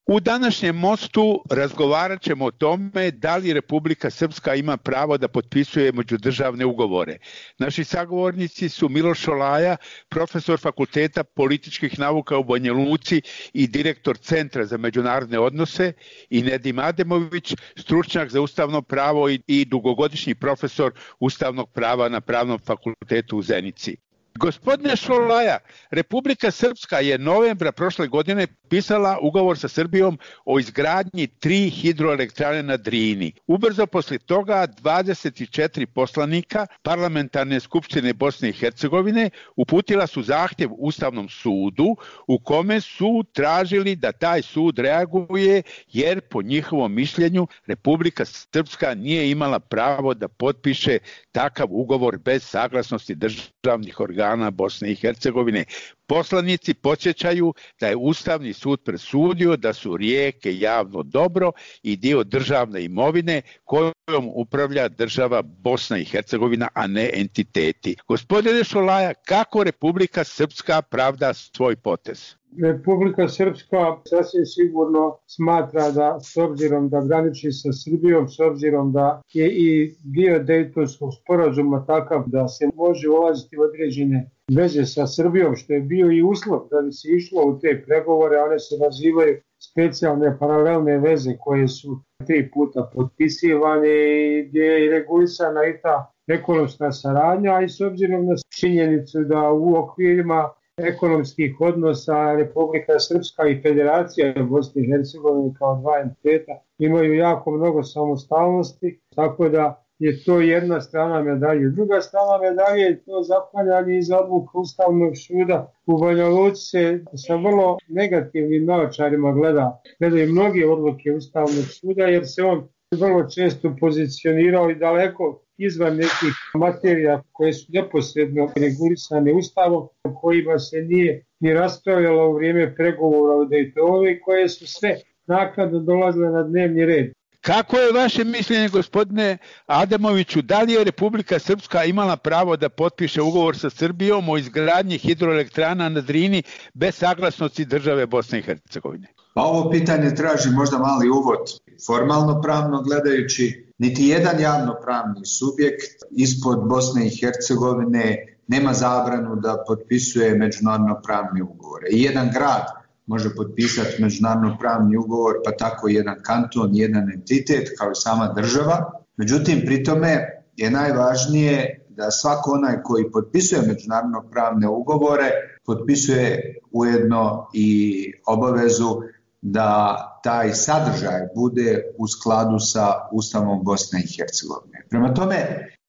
U današnjem mostu razgovarat ćemo o tome da li Republika Srpska ima pravo da potpisuje međudržavne ugovore. Naši sagovornici su Miloš Šolaja, profesor Fakulteta političkih nauka u Banja Luci i direktor Centra za međunarodne odnose, i Nedim Ademović, stručnjak za ustavno pravo i, i dugogodišnji profesor ustavnog prava na Pravnom fakultetu u Zenici. Gospodine Šolaja, Republika Srpska je novembra prošle godine pisala ugovor sa Srbijom o izgradnji tri hidroelektrane na Drini. Ubrzo poslije toga dvadeset četiri poslanika Parlamentarne skupštine Bosne i Hercegovine uputila su zahtjev Ustavnom sudu u kome su tražili da taj sud reaguje jer po njihovom mišljenju Republika Srpska nije imala pravo da potpiše takav ugovor bez saglasnosti državnih organa Bosne i Hercegovine. Poslanici podsjećaju da je Ustavni sud presudio da su rijeke javno dobro i dio državne imovine kojom upravlja država Bosna i Hercegovina, a ne entiteti. Gospodine Šolaja, kako Republika Srpska pravda svoj potez? Republika Srpska sasvim sigurno smatra da, s obzirom da graniči sa Srbijom, s obzirom da je i dio Dejtonskog sporazuma takav da se može ulaziti u određene veze sa Srbijom, što je bio i uslov da bi se išlo u te pregovore, one se nazivaju specijalne paralelne veze koje su tri puta potpisivane i gdje je regulisana i ta ekonomska saradnja, a i s obzirom na činjenicu da u okvirima ekonomskih odnosa Republika Srpska i Federacija Bosne i Hercegovine kao dva entiteta imaju jako mnogo samostalnosti, tako da je to jedna strana medalje. Druga strana medalje je to zaklanjanje iz odluka Ustavnog suda. U Banja Luci se sa vrlo negativnim naočarima gleda, gledaju mnoge odluke Ustavnog suda jer se on vrlo često pozicionirao i daleko izvan nekih materija koje su neposredno regulisane Ustavom, kojima se nije ni raspravljalo u vrijeme pregovora o Daytonu i koje su sve naknadno dolazile na dnevni red. Kako je vaše mišljenje, gospodine Adamoviću, da li je Republika Srpska imala pravo da potpiše ugovor sa Srbijom o izgradnji hidroelektrana na Drini bez saglasnosti države Bosne i Hercegovine? Pa ovo pitanje traži možda mali uvod. Formalno pravno gledajući, niti jedan javnopravni subjekt ispod Bosne i Hercegovine nema zabranu da potpisuje međunarodno pravne ugovore. I jedan grad može potpisati međunarodno pravni ugovor, pa tako i jedan kanton, jedan entitet kao i sama država. Međutim, pri tome je najvažnije da svako onaj koji potpisuje međunarodno pravne ugovore potpisuje ujedno i obavezu da taj sadržaj bude u skladu sa Ustavom Bosne i Hercegovine. Prema tome,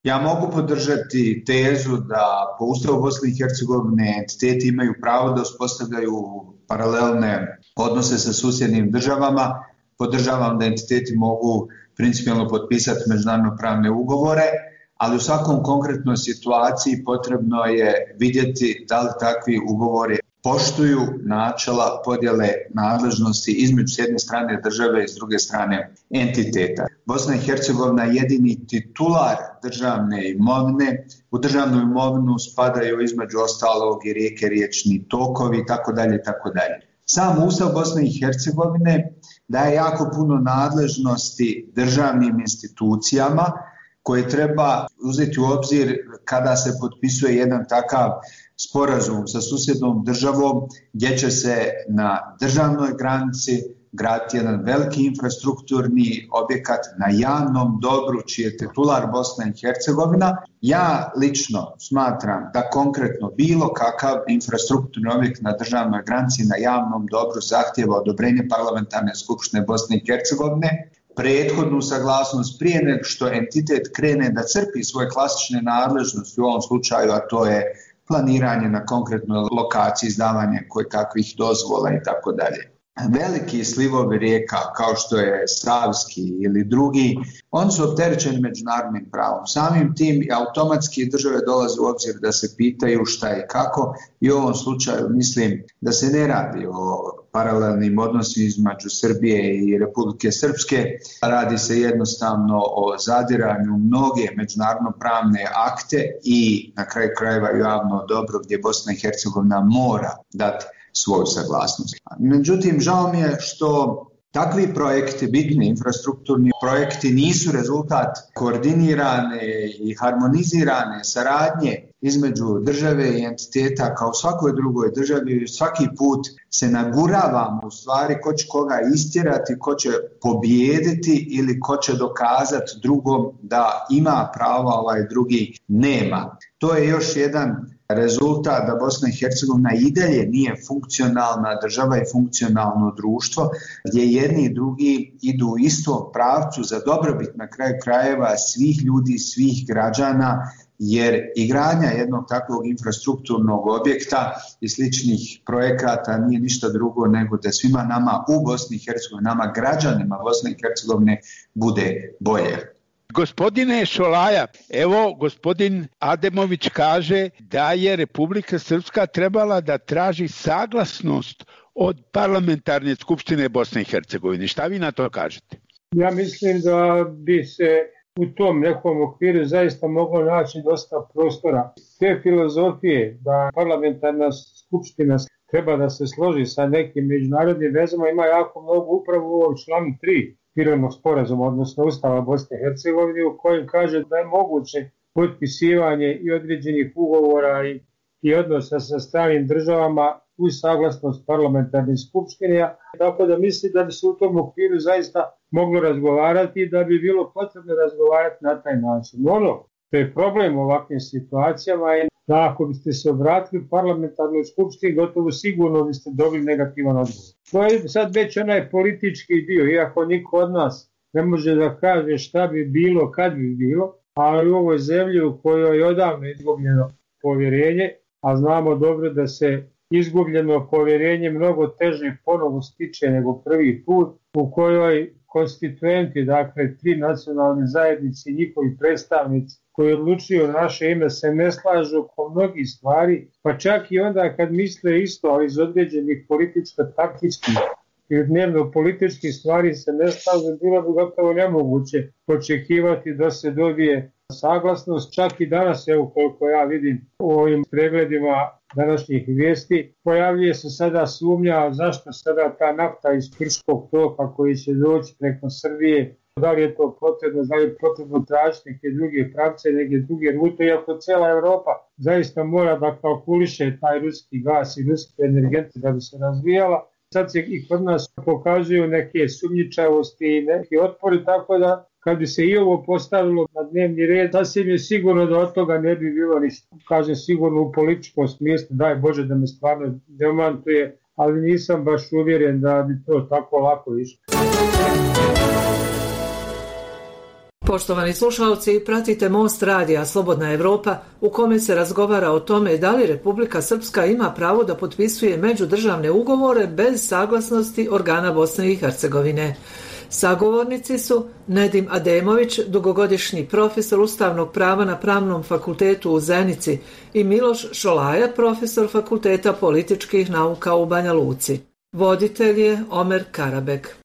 ja mogu podržati tezu da po Ustavu Bosne i Hercegovine entiteti imaju pravo da uspostavljaju paralelne odnose sa susjednim državama. Podržavam da entiteti mogu principijelno potpisati međunarodno pravne ugovore, ali u svakom konkretnoj situaciji potrebno je vidjeti da li takvi ugovori poštuju načela podjele nadležnosti između s jedne strane države i s druge strane entiteta. Bosna i Hercegovina je jedini titular državne imovine. U državnu imovinu spadaju između ostalog i rijeke, riječni tokovi itd. itd. Sam Ustav Bosne i Hercegovine daje jako puno nadležnosti državnim institucijama koje treba uzeti u obzir kada se potpisuje jedan takav sporazum sa susjednom državom gdje će se na državnoj granici graditi jedan veliki infrastrukturni objekat na javnom dobru čiji je titular Bosna i Hercegovina. Ja lično smatram da konkretno bilo kakav infrastrukturni objekt na državnoj granici na javnom dobru zahtijeva odobrenje parlamentarne skupštine Bosne i Hercegovine, prethodnu saglasnost prije nego što entitet krene da crpi svoje klasične nadležnosti u ovom slučaju, a to je planiranje na konkretnoj lokaciji, izdavanje koje kakvih dozvola i tako dalje. Veliki slivovi rijeka kao što je Savski ili drugi, oni su opterećeni međunarodnim pravom. Samim tim automatski države dolaze u obzir da se pitaju šta i kako i u ovom slučaju mislim da se ne radi o paralelnim odnosima između Srbije i Republike Srpske, radi se jednostavno o zadiranju mnoge međunarodno pravne akte i na kraju krajeva javno dobro gdje Bosna i Hercegovina mora dati svoju saglasnost. Međutim, žao mi je što takvi projekti, bitni infrastrukturni projekti, nisu rezultat koordinirane i harmonizirane saradnje između države i entiteta kao u svakoj drugoj državi. Svaki put se naguravamo u stvari ko će koga istjerati, ko će pobijediti ili ko će dokazati drugom da ima pravo, ovaj drugi nema. To je još jedan rezultat da Bosna i Hercegovina i dalje nije funkcionalna država i funkcionalno društvo gdje jedni i drugi idu u istom pravcu za dobrobit na kraju krajeva svih ljudi, svih građana, jer izgradnja jednog takvog infrastrukturnog objekta i sličnih projekata nije ništa drugo nego da svima nama u Bosni i Hercegovini, nama građanima Bosne i Hercegovine bude bolje. Gospodine Šolaja, evo gospodin Ademović kaže da je Republika Srpska trebala da traži saglasnost od parlamentarne skupštine Bosne i Hercegovine. Šta vi na to kažete? Ja mislim da bi se u tom nekom okviru zaista moglo naći dosta prostora. Te filozofije da parlamentarna skupština treba da se složi sa nekim međunarodnim vezama ima jako mnogo upravo u ovom članu tri mirovnog sporazuma, odnosno Ustava Bosne i Hercegovine, u kojem kaže da je moguće potpisivanje i određenih ugovora i, i odnosa sa stranim državama uz saglasnost parlamentarne skupštine. Tako da mislim da bi se u tom okviru zaista moglo razgovarati i da bi bilo potrebno razgovarati na taj način. Ono što je problem u ovakvim situacijama je da ako biste se obratili parlamentarnoj skupštini, gotovo sigurno biste dobili negativan odgovor. To je sad već onaj politički dio, iako niko od nas ne može da kaže šta bi bilo, kad bi bilo, ali u ovoj zemlji u kojoj je odavno izgubljeno povjerenje, a znamo dobro da se izgubljeno povjerenje mnogo teže ponovo stiče nego prvi put, u kojoj konstituenti, dakle tri nacionalne zajednice i njihovi predstavnici koji odlučuju naše ime se ne slažu oko mnogih stvari, pa čak i onda kad misle isto, ali iz određenih političko-taktičkih i dnevno političkih stvari se ne slažu, bilo bi gotovo nemoguće očekivati da se dobije saglasnost. Čak i danas, evo koliko ja vidim u ovim pregledima današnjih vijesti, pojavljuje se sada sumnja zašto sada ta nafta iz Krškog toka koji će doći preko Srbije, da li je to potrebno, da li je potrebno tražiti neke druge pravce, neke druge rute, iako cijela Evropa zaista mora da kalkuliše taj ruski gas i ruske energente da bi se razvijala. Sad se i kod nas pokazuju neke sumnjičavosti i neki otpori, tako da kad bi se i ovo postavilo na dnevni red, sasvim je sigurno da od toga ne bi bilo ništa. Kažem sigurno u političkom smislu, daj Bože da me stvarno demantuje, ali nisam baš uvjeren da bi to tako lako išlo. Poštovani slušalci, pratite Most radija Slobodna Evropa u kome se razgovara o tome da li Republika Srpska ima pravo da potpisuje međudržavne ugovore bez saglasnosti organa Bosne i Hercegovine. Sagovornici su Nedim Ademović, dugogodišnji profesor ustavnog prava na Pravnom fakultetu u Zenici, i Miloš Šolaja, profesor Fakulteta političkih nauka u Banja Luci. Voditelj je Omer Karabek.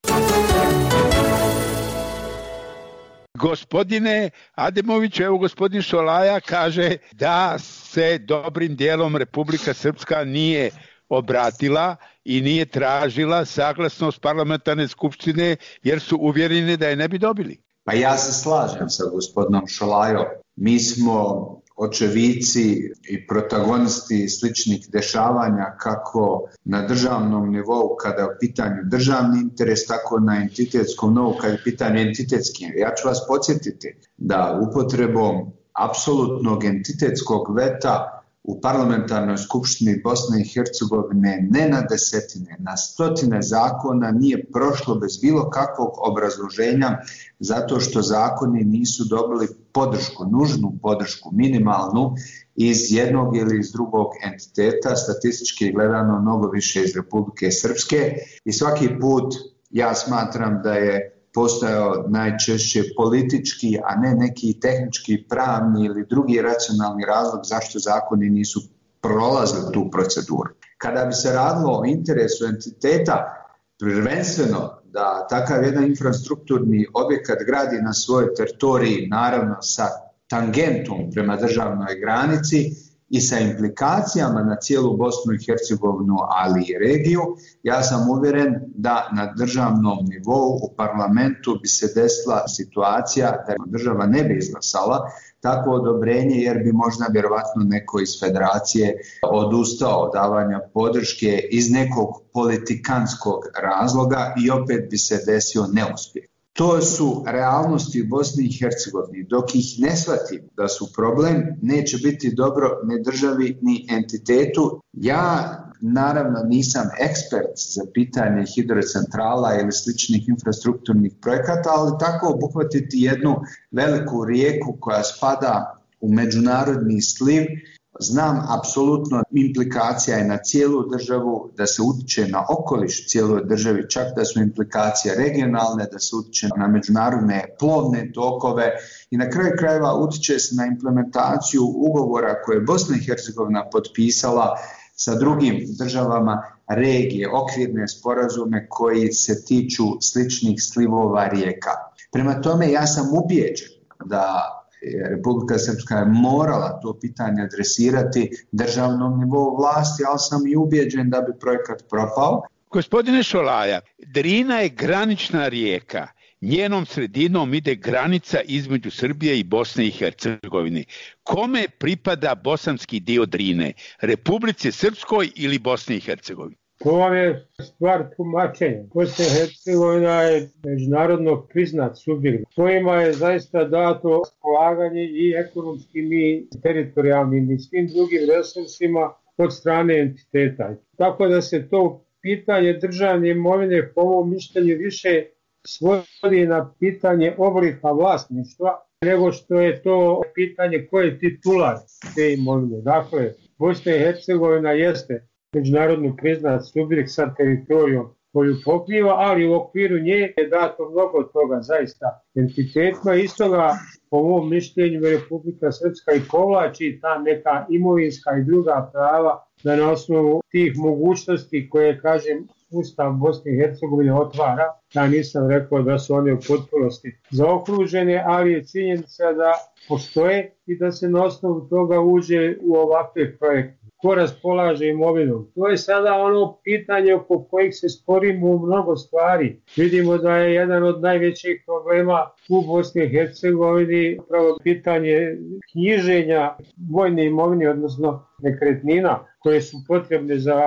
Gospodine Ademović, evo gospodin Šolaja kaže da se dobrim dijelom Republika Srpska nije obratila i nije tražila saglasnost parlamentarne skupštine jer su uvjereni da je ne bi dobili. Pa ja se slažem sa gospodinom Šolajom. Mi smo očevici i protagonisti sličnih dešavanja kako na državnom nivou kada je u pitanju državni interes, tako na entitetskom nivou kada je u pitanju entitetski. Ja ću vas podsjetiti da upotrebom apsolutnog entitetskog veta u parlamentarnoj skupštini Bosne i Hercegovine ne na desetine, na stotine zakona nije prošlo bez bilo kakvog obrazloženja zato što zakoni nisu dobili podršku, nužnu podršku, minimalnu iz jednog ili iz drugog entiteta, statistički gledano mnogo više iz Republike Srpske, i svaki put ja smatram da je postojao najčešće politički, a ne neki tehnički, pravni ili drugi racionalni razlog zašto zakoni nisu prolazili tu proceduru. Kada bi se radilo o interesu entiteta, prvenstveno da takav jedan infrastrukturni objekat gradi na svojoj teritoriji, naravno sa tangentom prema državnoj granici i sa implikacijama na cijelu Bosnu i Hercegovinu, ali i regiju, ja sam uvjeren da na državnom nivou u parlamentu bi se desila situacija da država ne bi izglasala takvo odobrenje jer bi možda vjerovatno neko iz federacije odustao od davanja podrške iz nekog politikanskog razloga i opet bi se desio neuspjeh. To su realnosti u Bosni i Hercegovini. Dok ih ne shvatim da su problem, neće biti dobro ni državi ni entitetu. Ja naravno nisam ekspert za pitanje hidrocentrala ili sličnih infrastrukturnih projekata, ali tako obuhvatiti jednu veliku rijeku koja spada u međunarodni sliv, znam apsolutno implikacija je na cijelu državu, da se utiče na okoliš cijeloj državi, čak da su implikacije regionalne, da se utiče na međunarodne plovne tokove i na kraju krajeva utiče se na implementaciju ugovora koje je Bosna i Hercegovina potpisala sa drugim državama regije, okvirne sporazume koji se tiču sličnih slivova rijeka. Prema tome ja sam ubijeđen da Republika Srpska je morala to pitanje adresirati državnom nivou vlasti, ali sam i ubijeđen da bi projekat propao. Gospodine Šolaja, Drina je granična rijeka. Njenom sredinom ide granica između Srbije i Bosne i Hercegovine. Kome pripada bosanski dio Drine? Republici Srpskoj ili Bosni i Hercegovini? To vam je stvar tumačenja. Bosna i Hercegovina je međunarodno priznat subjekt. Kojima je zaista dato raspolaganje i ekonomskim i teritorijalnim i svim drugim resursima od strane entiteta. Tako da se to pitanje državne imovine po ovom mišljenju više svodi na pitanje oblika vlasništva nego što je to pitanje ko je titular te imovine. Dakle, Bosna i Hercegovina jeste međunarodno priznat subjekt sa teritorijom koju pokriva, ali u okviru nje je dato mnogo toga zaista entitetima. Iz toga po mom mišljenju Republika Srpska i povlači ta neka imovinska i druga prava da na osnovu tih mogućnosti koje, kažem, Ustav Bosne i Hercegovine otvara. Ja nisam rekao da su one u potpunosti zaokružene, ali je činjenica da postoje i da se na osnovu toga uđe u ovakve projekte. Ko raspolaže imovinom? To je sada ono pitanje oko kojih se sporimo u mnogo stvari. Vidimo da je jedan od najvećih problema u Bosni i Hercegovini upravo pitanje knjiženja vojne imovine, odnosno nekretnina koje su potrebne za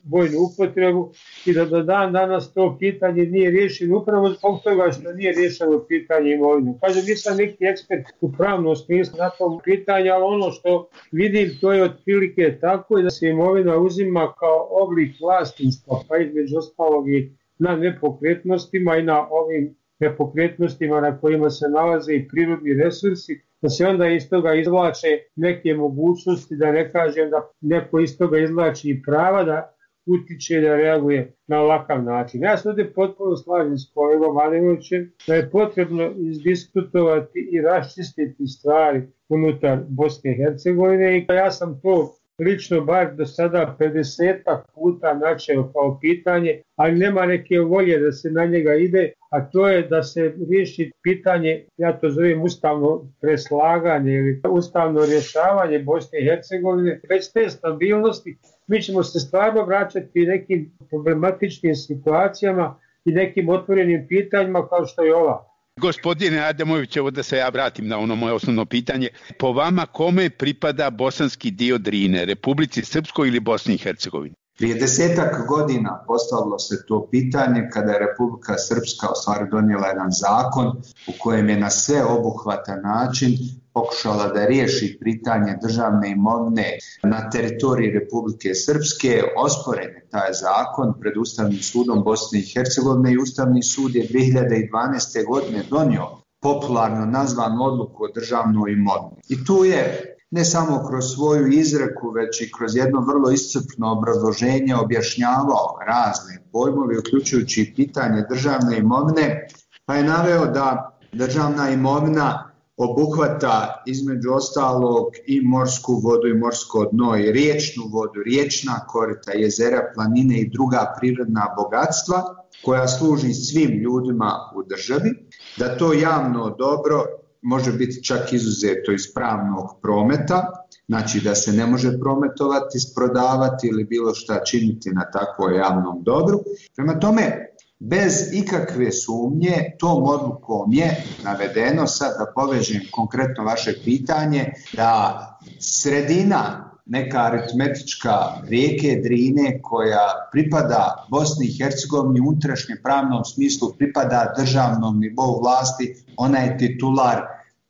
vojnu upotrebu i da do dan danas to pitanje nije riješeno upravo zbog toga što nije riješeno pitanje imovine. Kažem, nisam neki ekspert u pravnom smislu na tom pitanju, ali ono što vidim to je otprilike tako i da se imovina uzima kao oblik vlasništva, pa između ostalog i na nepokretnostima i na ovim nepokretnostima na kojima se nalaze i prirodni resursi, da se onda iz toga izvlače neke mogućnosti, da ne kažem da neko iz toga izvlači i prava da utiče da reaguje na ovakav način. Ja se ovdje potpuno slažem s kolegom Adimovićem da je potrebno izdiskutovati i raščistiti stvari unutar Bosne i Hercegovine i ja sam to lično bar do sada pedesetak puta načeo kao pitanje, ali nema neke volje da se na njega ide, a to je da se riješi pitanje, ja to zovem ustavno preslaganje ili ustavno rješavanje Bosne i Hercegovine, već te stabilnosti. Mi ćemo se stvarno vraćati nekim problematičnim situacijama i nekim otvorenim pitanjima kao što je ova. Gospodine Adamović, evo da se ja vratim na ono moje osnovno pitanje. Po vama kome pripada bosanski dio Drine, Republici Srpskoj ili Bosni i Hercegovini? Prije desetak godina postavilo se to pitanje kada je Republika Srpska u stvari donijela jedan zakon u kojem je na sveobuhvatan način pokušala da riješi pitanje državne imovine na teritoriji Republike Srpske. Osporen je taj zakon pred Ustavnim sudom Bosne i Hercegovine i Ustavni sud je dvije hiljade dvanaeste. godine donio popularno nazvanu odluku o državnoj imovini. I tu je ne samo kroz svoju izreku, već i kroz jedno vrlo iscrpno obrazloženje objašnjavao razne pojmove, uključujući i pitanje državne imovine, pa je naveo da državna imovina obuhvata između ostalog i morsku vodu i morsko dno i riječnu vodu, riječna korita, jezera, planine i druga prirodna bogatstva koja služi svim ljudima u državi, da to javno dobro može biti čak izuzeto iz pravnog prometa, znači da se ne može prometovati, prodavati ili bilo šta činiti na takvom javnom dobru. Prema tome, bez ikakve sumnje, tom odlukom je navedeno, sad da povežem konkretno vaše pitanje, da sredina, neka aritmetička rijeke Drine koja pripada Bosni i Hercegovini u unutrašnjem pravnom smislu, pripada državnom nivou vlasti, ona je titular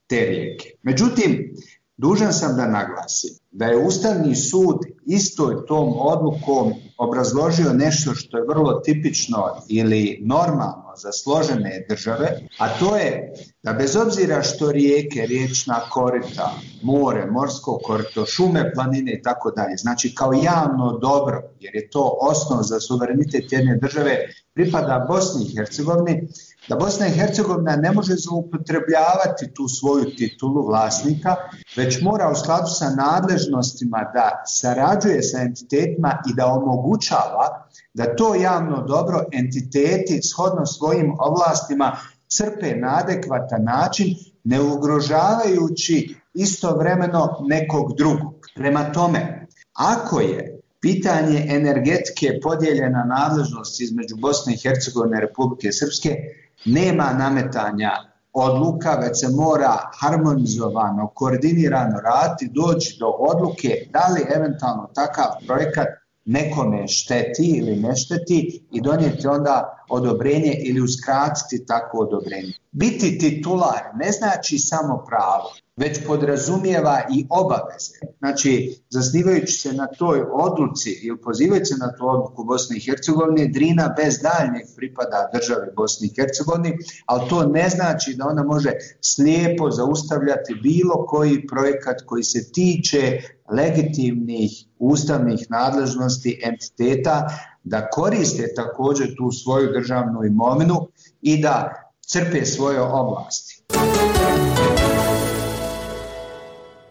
te rijeke. Međutim, dužan sam da naglasim da je Ustavni sud istoj tom odlukom obrazložio nešto što je vrlo tipično ili normalno za složene države, a to je da bez obzira što rijeke, riječna korita, more, morsko korito, šume, planine i tako dalje, znači kao javno dobro, jer je to osnov za suverenitet jedne države, pripada Bosni i Hercegovini, da Bosna i Hercegovina ne može zloupotrebljavati tu svoju titulu vlasnika, već mora u skladu sa nadležnostima da sarađuje sa entitetima i da omogućava da to javno dobro entiteti shodno svojim ovlastima crpe na adekvatan način, ne ugrožavajući istovremeno nekog drugog. Prema tome, ako je pitanje energetike podijeljena nadležnost između Bosne i Hercegovine i Republike Srpske, nema nametanja odluka, već se mora harmonizovano, koordinirano raditi, doći do odluke da li eventualno takav projekat nekome šteti ili ne šteti i donijeti onda odobrenje ili uskratiti takvo odobrenje. Biti titular ne znači samo pravo, već podrazumijeva i obaveze. Znači, zasnivajući se na toj odluci ili pozivajući se na tu odluku Bosne i Hercegovine, Drina bez daljnjeg pripada državi Bosni i Hercegovini, ali to ne znači da ona može slijepo zaustavljati bilo koji projekat koji se tiče legitimnih ustavnih nadležnosti entiteta da koriste također tu svoju državnu imovinu i da crpe svoje oblasti.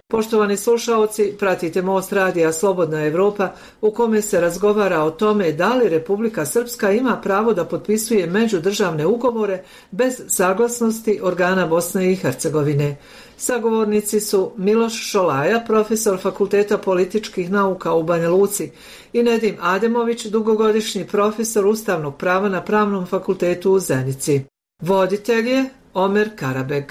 Poštovani slušaoci, pratite Most radija Slobodna Evropa u kome se razgovara o tome da li Republika Srpska ima pravo da potpisuje međudržavne ugovore bez saglasnosti organa Bosne i Hercegovine. Sagovornici su Miloš Šolaja, profesor Fakulteta političkih nauka u Banja Luci, i Nedim Ademović, dugogodišnji profesor ustavnog prava na Pravnom fakultetu u Zenici. Voditelj je Omer Karabeg.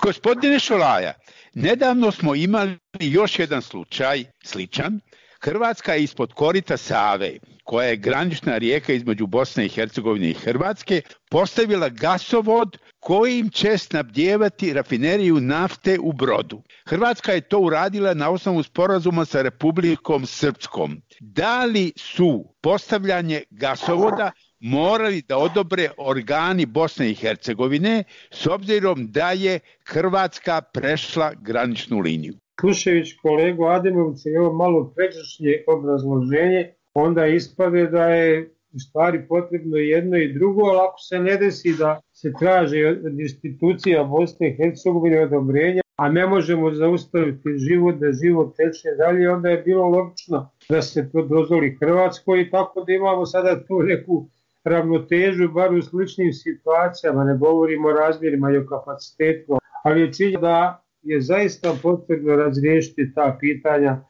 Gospodine Šolaja, nedavno smo imali još jedan slučaj sličan. Hrvatska je ispod korita Save, koja je granična rijeka između Bosne i Hercegovine i Hrvatske, postavila gasovod kojim će snabdijevati rafineriju nafte u Brodu. Hrvatska je to uradila na osnovu sporazuma sa Republikom Srpskom. Da li su postavljanje gasovoda morali da odobre organi Bosne i Hercegovine s obzirom da je Hrvatska prešla graničnu liniju? Slušajući kolegu Ademovića i ovo malo pređašnje obrazloženje, onda ispade da je u stvari potrebno jedno i drugo, ali ako se ne desi da se traži od institucija Bosne i Hercegovine odobrenja, a ne možemo zaustaviti život, da život teče dalje, onda je bilo logično da se to dozvoli Hrvatskoj i tako da imamo sada tu neku ravnotežu, bar u sličnim situacijama, ne govorimo o razmjerima i o kapacitetu, ali je činjenica da je zaista potrebno razriješiti ta pitanja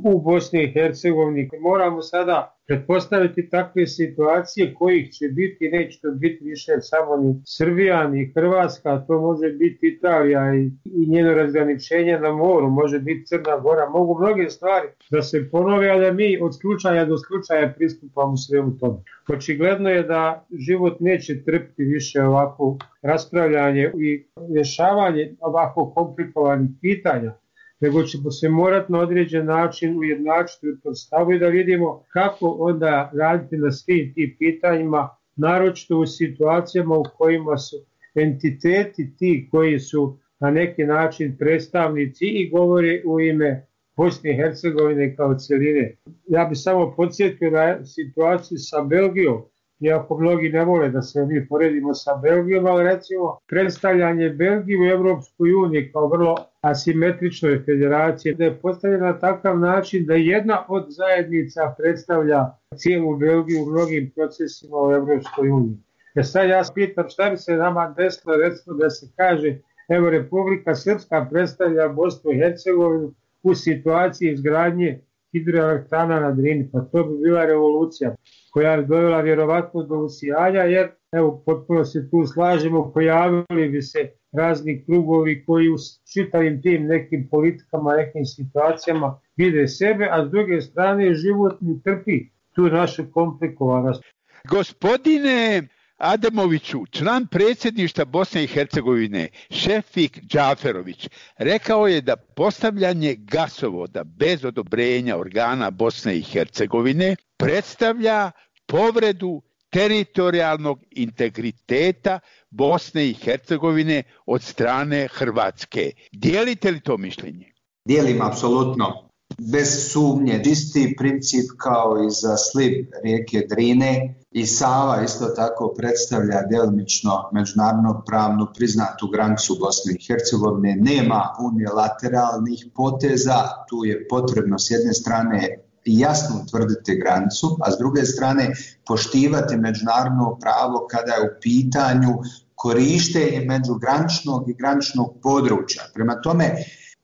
u Bosni i Hercegovini. Moramo sada pretpostaviti takve situacije kojih će biti, neće to biti više samo ni Srbija ni Hrvatska, to može biti Italija i, i njeno razgraničenje na moru, može biti Crna Gora, mogu mnoge stvari da se ponove, a da mi od slučaja do slučaja pristupamo svemu tome. Očigledno je da život neće trpiti više ovako raspravljanje i rješavanje ovako komplikovanih pitanja, nego ćemo se morati na određen način ujednačiti u tom stavu i da vidimo kako onda raditi na svim tim pitanjima, naročito u situacijama u kojima su entiteti ti koji su na neki način predstavnici i govore u ime Bosne i Hercegovine kao cjeline. Ja bih samo podsjetio na situaciju sa Belgijom, iako mnogi ne vole da se mi poredimo sa Belgijom, ali recimo predstavljanje Belgije u Evropskoj uniji kao vrlo asimetričnoj federaciji, da je postavljena na takav način da jedna od zajednica predstavlja cijelu Belgiju u mnogim procesima u Evropskoj uniji. E sad ja pitam šta bi se nama desilo, recimo da se kaže, evo Republika Srpska predstavlja Bosnu i Hercegovinu u situaciji izgradnje hidroelektrana na Drini, pa to bi bila revolucija koja bi dovela vjerovatno do usijanja, jer evo potpuno se tu slažemo, pojavili bi se razni krugovi koji u čitavim tim nekim politikama, nekim situacijama vide sebe, a s druge strane život ne trpi tu našu komplikovanost. Gospodine Ademoviću, član predsjedništva Bosne i Hercegovine, Šefik Džaferović, rekao je da postavljanje gasovoda bez odobrenja organa Bosne i Hercegovine predstavlja povredu teritorijalnog integriteta Bosne i Hercegovine od strane Hrvatske. Dijelite li to mišljenje? Dijelim apsolutno. Bez sumnje, isti princip kao i za sliv rijeke Drine i Sava isto tako predstavlja djelomično međunarodno pravno priznatu granicu Bosne i Hercegovine. Nema unilateralnih poteza, tu je potrebno s jedne strane jasno utvrditi granicu, a s druge strane poštivati međunarodno pravo kada je u pitanju korištenje međugraničnog i graničnog područja. Prema tome,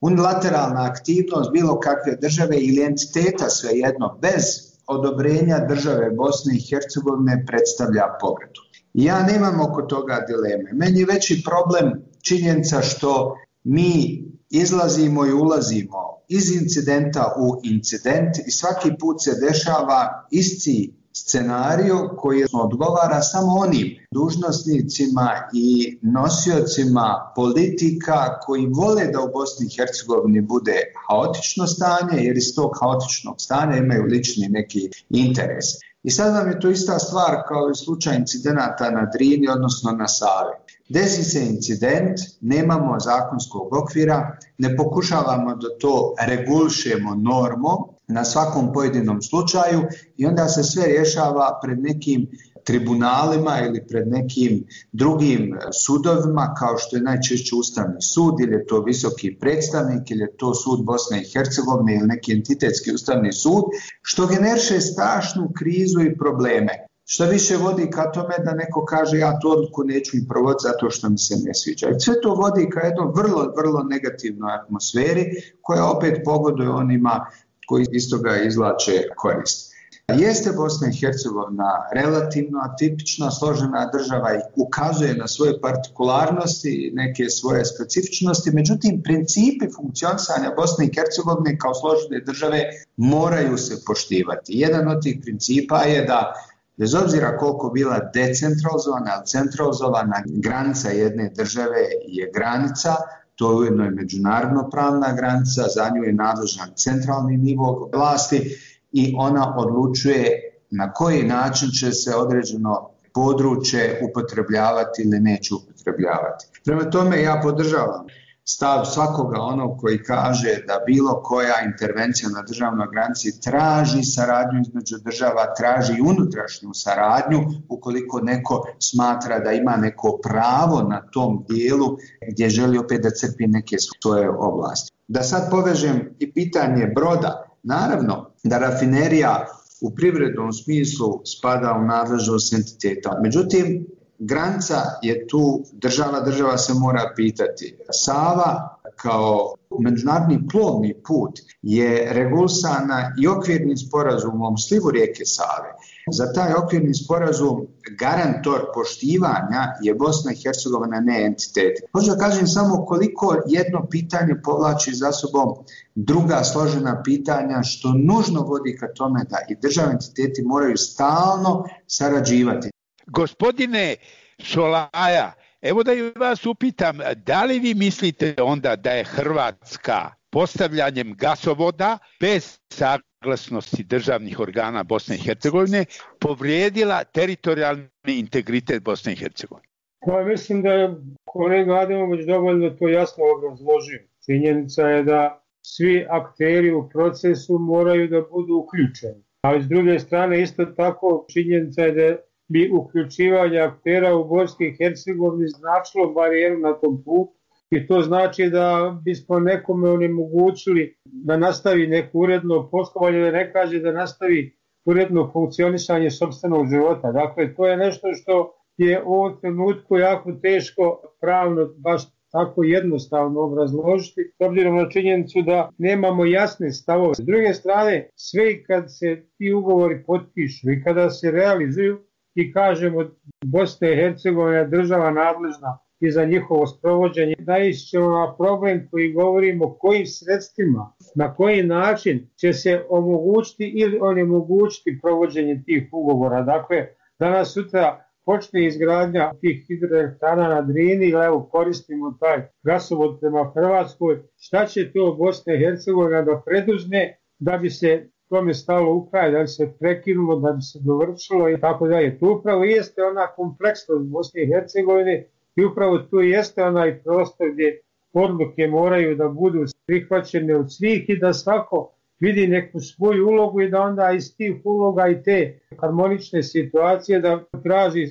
unilateralna aktivnost bilo kakve države ili entiteta svejedno bez odobrenja države Bosne i Hercegovine predstavlja povredu. Ja nemam oko toga dileme. Meni je veći problem činjenica što mi izlazimo i ulazimo iz incidenta u incident i svaki put se dešava isti scenario koji odgovara samo onim dužnosnicima i nosiocima politika koji vole da u Bosni i Hercegovini bude haotično stanje, jer iz tog haotičnog stanja imaju lični neki interes. I sad nam je to ista stvar kao i slučaj incidenata na Drini, odnosno na Savi. Desi se incident, nemamo zakonskog okvira, ne pokušavamo da to regulišemo normom na svakom pojedinom slučaju i onda se sve rješava pred nekim tribunalima ili pred nekim drugim sudovima kao što je najčešće Ustavni sud ili je to visoki predstavnik ili je to sud Bosne i Hercegovine ili neki entitetski Ustavni sud, što generiše strašnu krizu i probleme. Što više vodi ka tome da neko kaže ja tu odluku neću i provoditi zato što mi se ne sviđa. I sve to vodi ka jednoj vrlo, vrlo negativnoj atmosferi koja opet pogoduje onima koji iz toga izvlače korist. Jeste Bosna i Hercegovina relativno atipična, složena država i ukazuje na svoje partikularnosti, neke svoje specifičnosti, međutim principi funkcionisanja Bosne i Hercegovine kao složene države moraju se poštivati. Jedan od tih principa je da bez obzira koliko bila decentralizovana, ali centralizovana granica jedne države je granica, to je ujedno i međunarodno pravna granica, za nju je nadležan centralni nivo vlasti i ona odlučuje na koji način će se određeno područje upotrebljavati ili neće upotrebljavati. Prema tome ja podržavam stav svakoga onog koji kaže da bilo koja intervencija na državnoj granici traži saradnju između država, traži unutrašnju saradnju ukoliko neko smatra da ima neko pravo na tom dijelu gdje želi opet da crpi neke svoje oblasti. Da sad povežem i pitanje broda, naravno da rafinerija u privrednom smislu spada u nadležnost entiteta, međutim granica je tu, država, država se mora pitati. Sava kao međunarodni plovni put je regulisana i okvirnim sporazumom slivu rijeke Save. Za taj okvirni sporazum garantor poštivanja je Bosna i Hercegovina, ne entitet. Hoću da kažem samo koliko jedno pitanje povlači za sobom druga složena pitanja, što nužno vodi ka tome da i državni entiteti moraju stalno sarađivati. Gospodine Šolaja, evo da i vas upitam, da li vi mislite onda da je Hrvatska postavljanjem gasovoda bez saglasnosti državnih organa Bosne i Hercegovine povrijedila teritorijalni integritet Bosne i Hercegovine? Pa mislim da je kolega Ademović dovoljno to jasno obrazložio. Činjenica je da svi akteri u procesu moraju da budu uključeni. Ali s druge strane isto tako činjenica je da bi uključivanje aktera u Bosni i Hercegovini značilo barijeru na tom putu i to znači da bismo nekome onemogućili da nastavi neko uredno poslovanje, da ne kaže da nastavi uredno funkcionisanje sopstvenog života. Dakle, to je nešto što je u ovom trenutku jako teško pravno baš tako jednostavno obrazložiti, s obzirom na činjenicu da nemamo jasne stavove. S druge strane, sve kad se ti ugovori potpišu i kada se realizuju, i kažemo Bosna i Hercegovina je država nadležna i za njihovo sprovođenje, naići ćemo na problem koji govorimo kojim sredstvima, na koji način će se omogućiti ili onemogućiti provođenje tih ugovora. Dakle, danas sutra počne izgradnja tih hidroelektrana na Drini, ili evo koristimo taj gasovod prema Hrvatskoj, šta će to Bosna i Hercegovina da preduzme da bi se tome stalo u kraj, da bi se prekinulo, da bi se dovršilo i tako dalje. Tu upravo jeste ona kompleksnost Bosne i Hercegovine i upravo tu jeste onaj prostor gdje odluke moraju da budu prihvaćene od svih i da svako vidi neku svoju ulogu i da onda iz tih uloga i te harmonične situacije da traži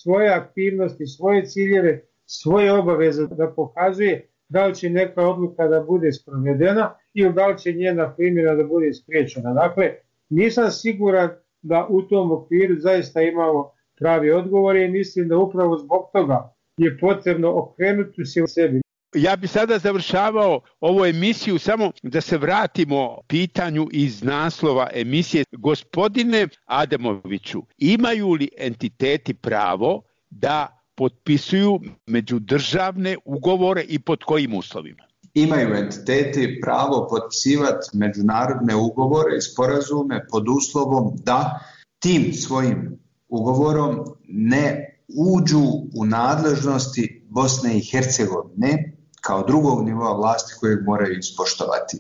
svoje aktivnosti, svoje ciljeve, svoje obaveze da pokazuje da li će neka odluka da bude sprovedena ili da li će njena primjena da bude spriječena. Dakle, nisam siguran da u tom okviru zaista imamo pravi odgovor i mislim da upravo zbog toga je potrebno okrenuti se u sebi. Ja bi sada završavao ovu emisiju samo da se vratimo pitanju iz naslova emisije. Gospodine Ademoviću, imaju li entiteti pravo da potpisuju međudržavne ugovore i pod kojim uslovima? Imaju entiteti pravo potpisivati međunarodne ugovore i sporazume pod uslovom da tim svojim ugovorom ne uđu u nadležnosti Bosne i Hercegovine kao drugog nivoa vlasti kojeg moraju ispoštovati.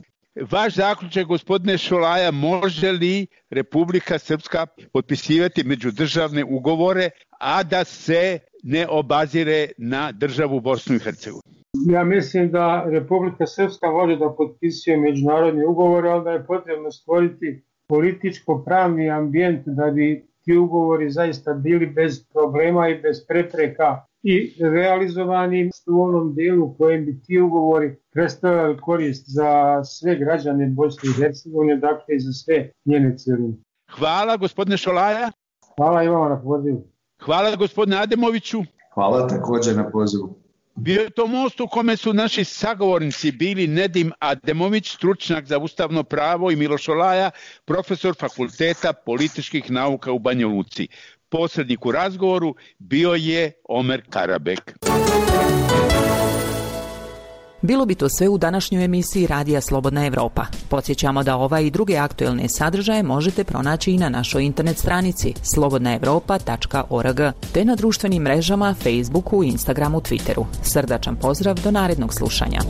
Vaš zaključak, gospodine Šolaja, može li Republika Srpska potpisivati međudržavne ugovore, a da se ne obazire na državu Bosnu i Hercegovinu? Ja mislim da Republika Srpska može da potpisuje međunarodne ugovore, ali da je potrebno stvoriti političko-pravni ambijent da bi ti ugovori zaista bili bez problema i bez prepreka i realizovani u onom dijelu kojem bi ti ugovori predstavljali korist za sve građane Bosne i Hercegovine, dakle i za sve njene cijeline. Hvala gospodine Šolaja. Hvala i vama na pozivu. Hvala gospodine Ademoviću. Hvala također na pozivu. Bio je to most u kome su naši sagovornici bili Nedim Ademović, stručnjak za ustavno pravo, i Miloš Šolaja, profesor Fakulteta političkih nauka u Banja Luci. Posrednik u razgovoru bio je Omer Karabek. Bilo bi to sve u današnjoj emisiji Radija Slobodna Evropa. Podsjećamo da ova i druge aktuelne sadržaje možete pronaći i na našoj internet stranici slobodna evropa tačka org te na društvenim mrežama Facebooku, Instagramu, Twitteru. Srdačan pozdrav, do narednog slušanja.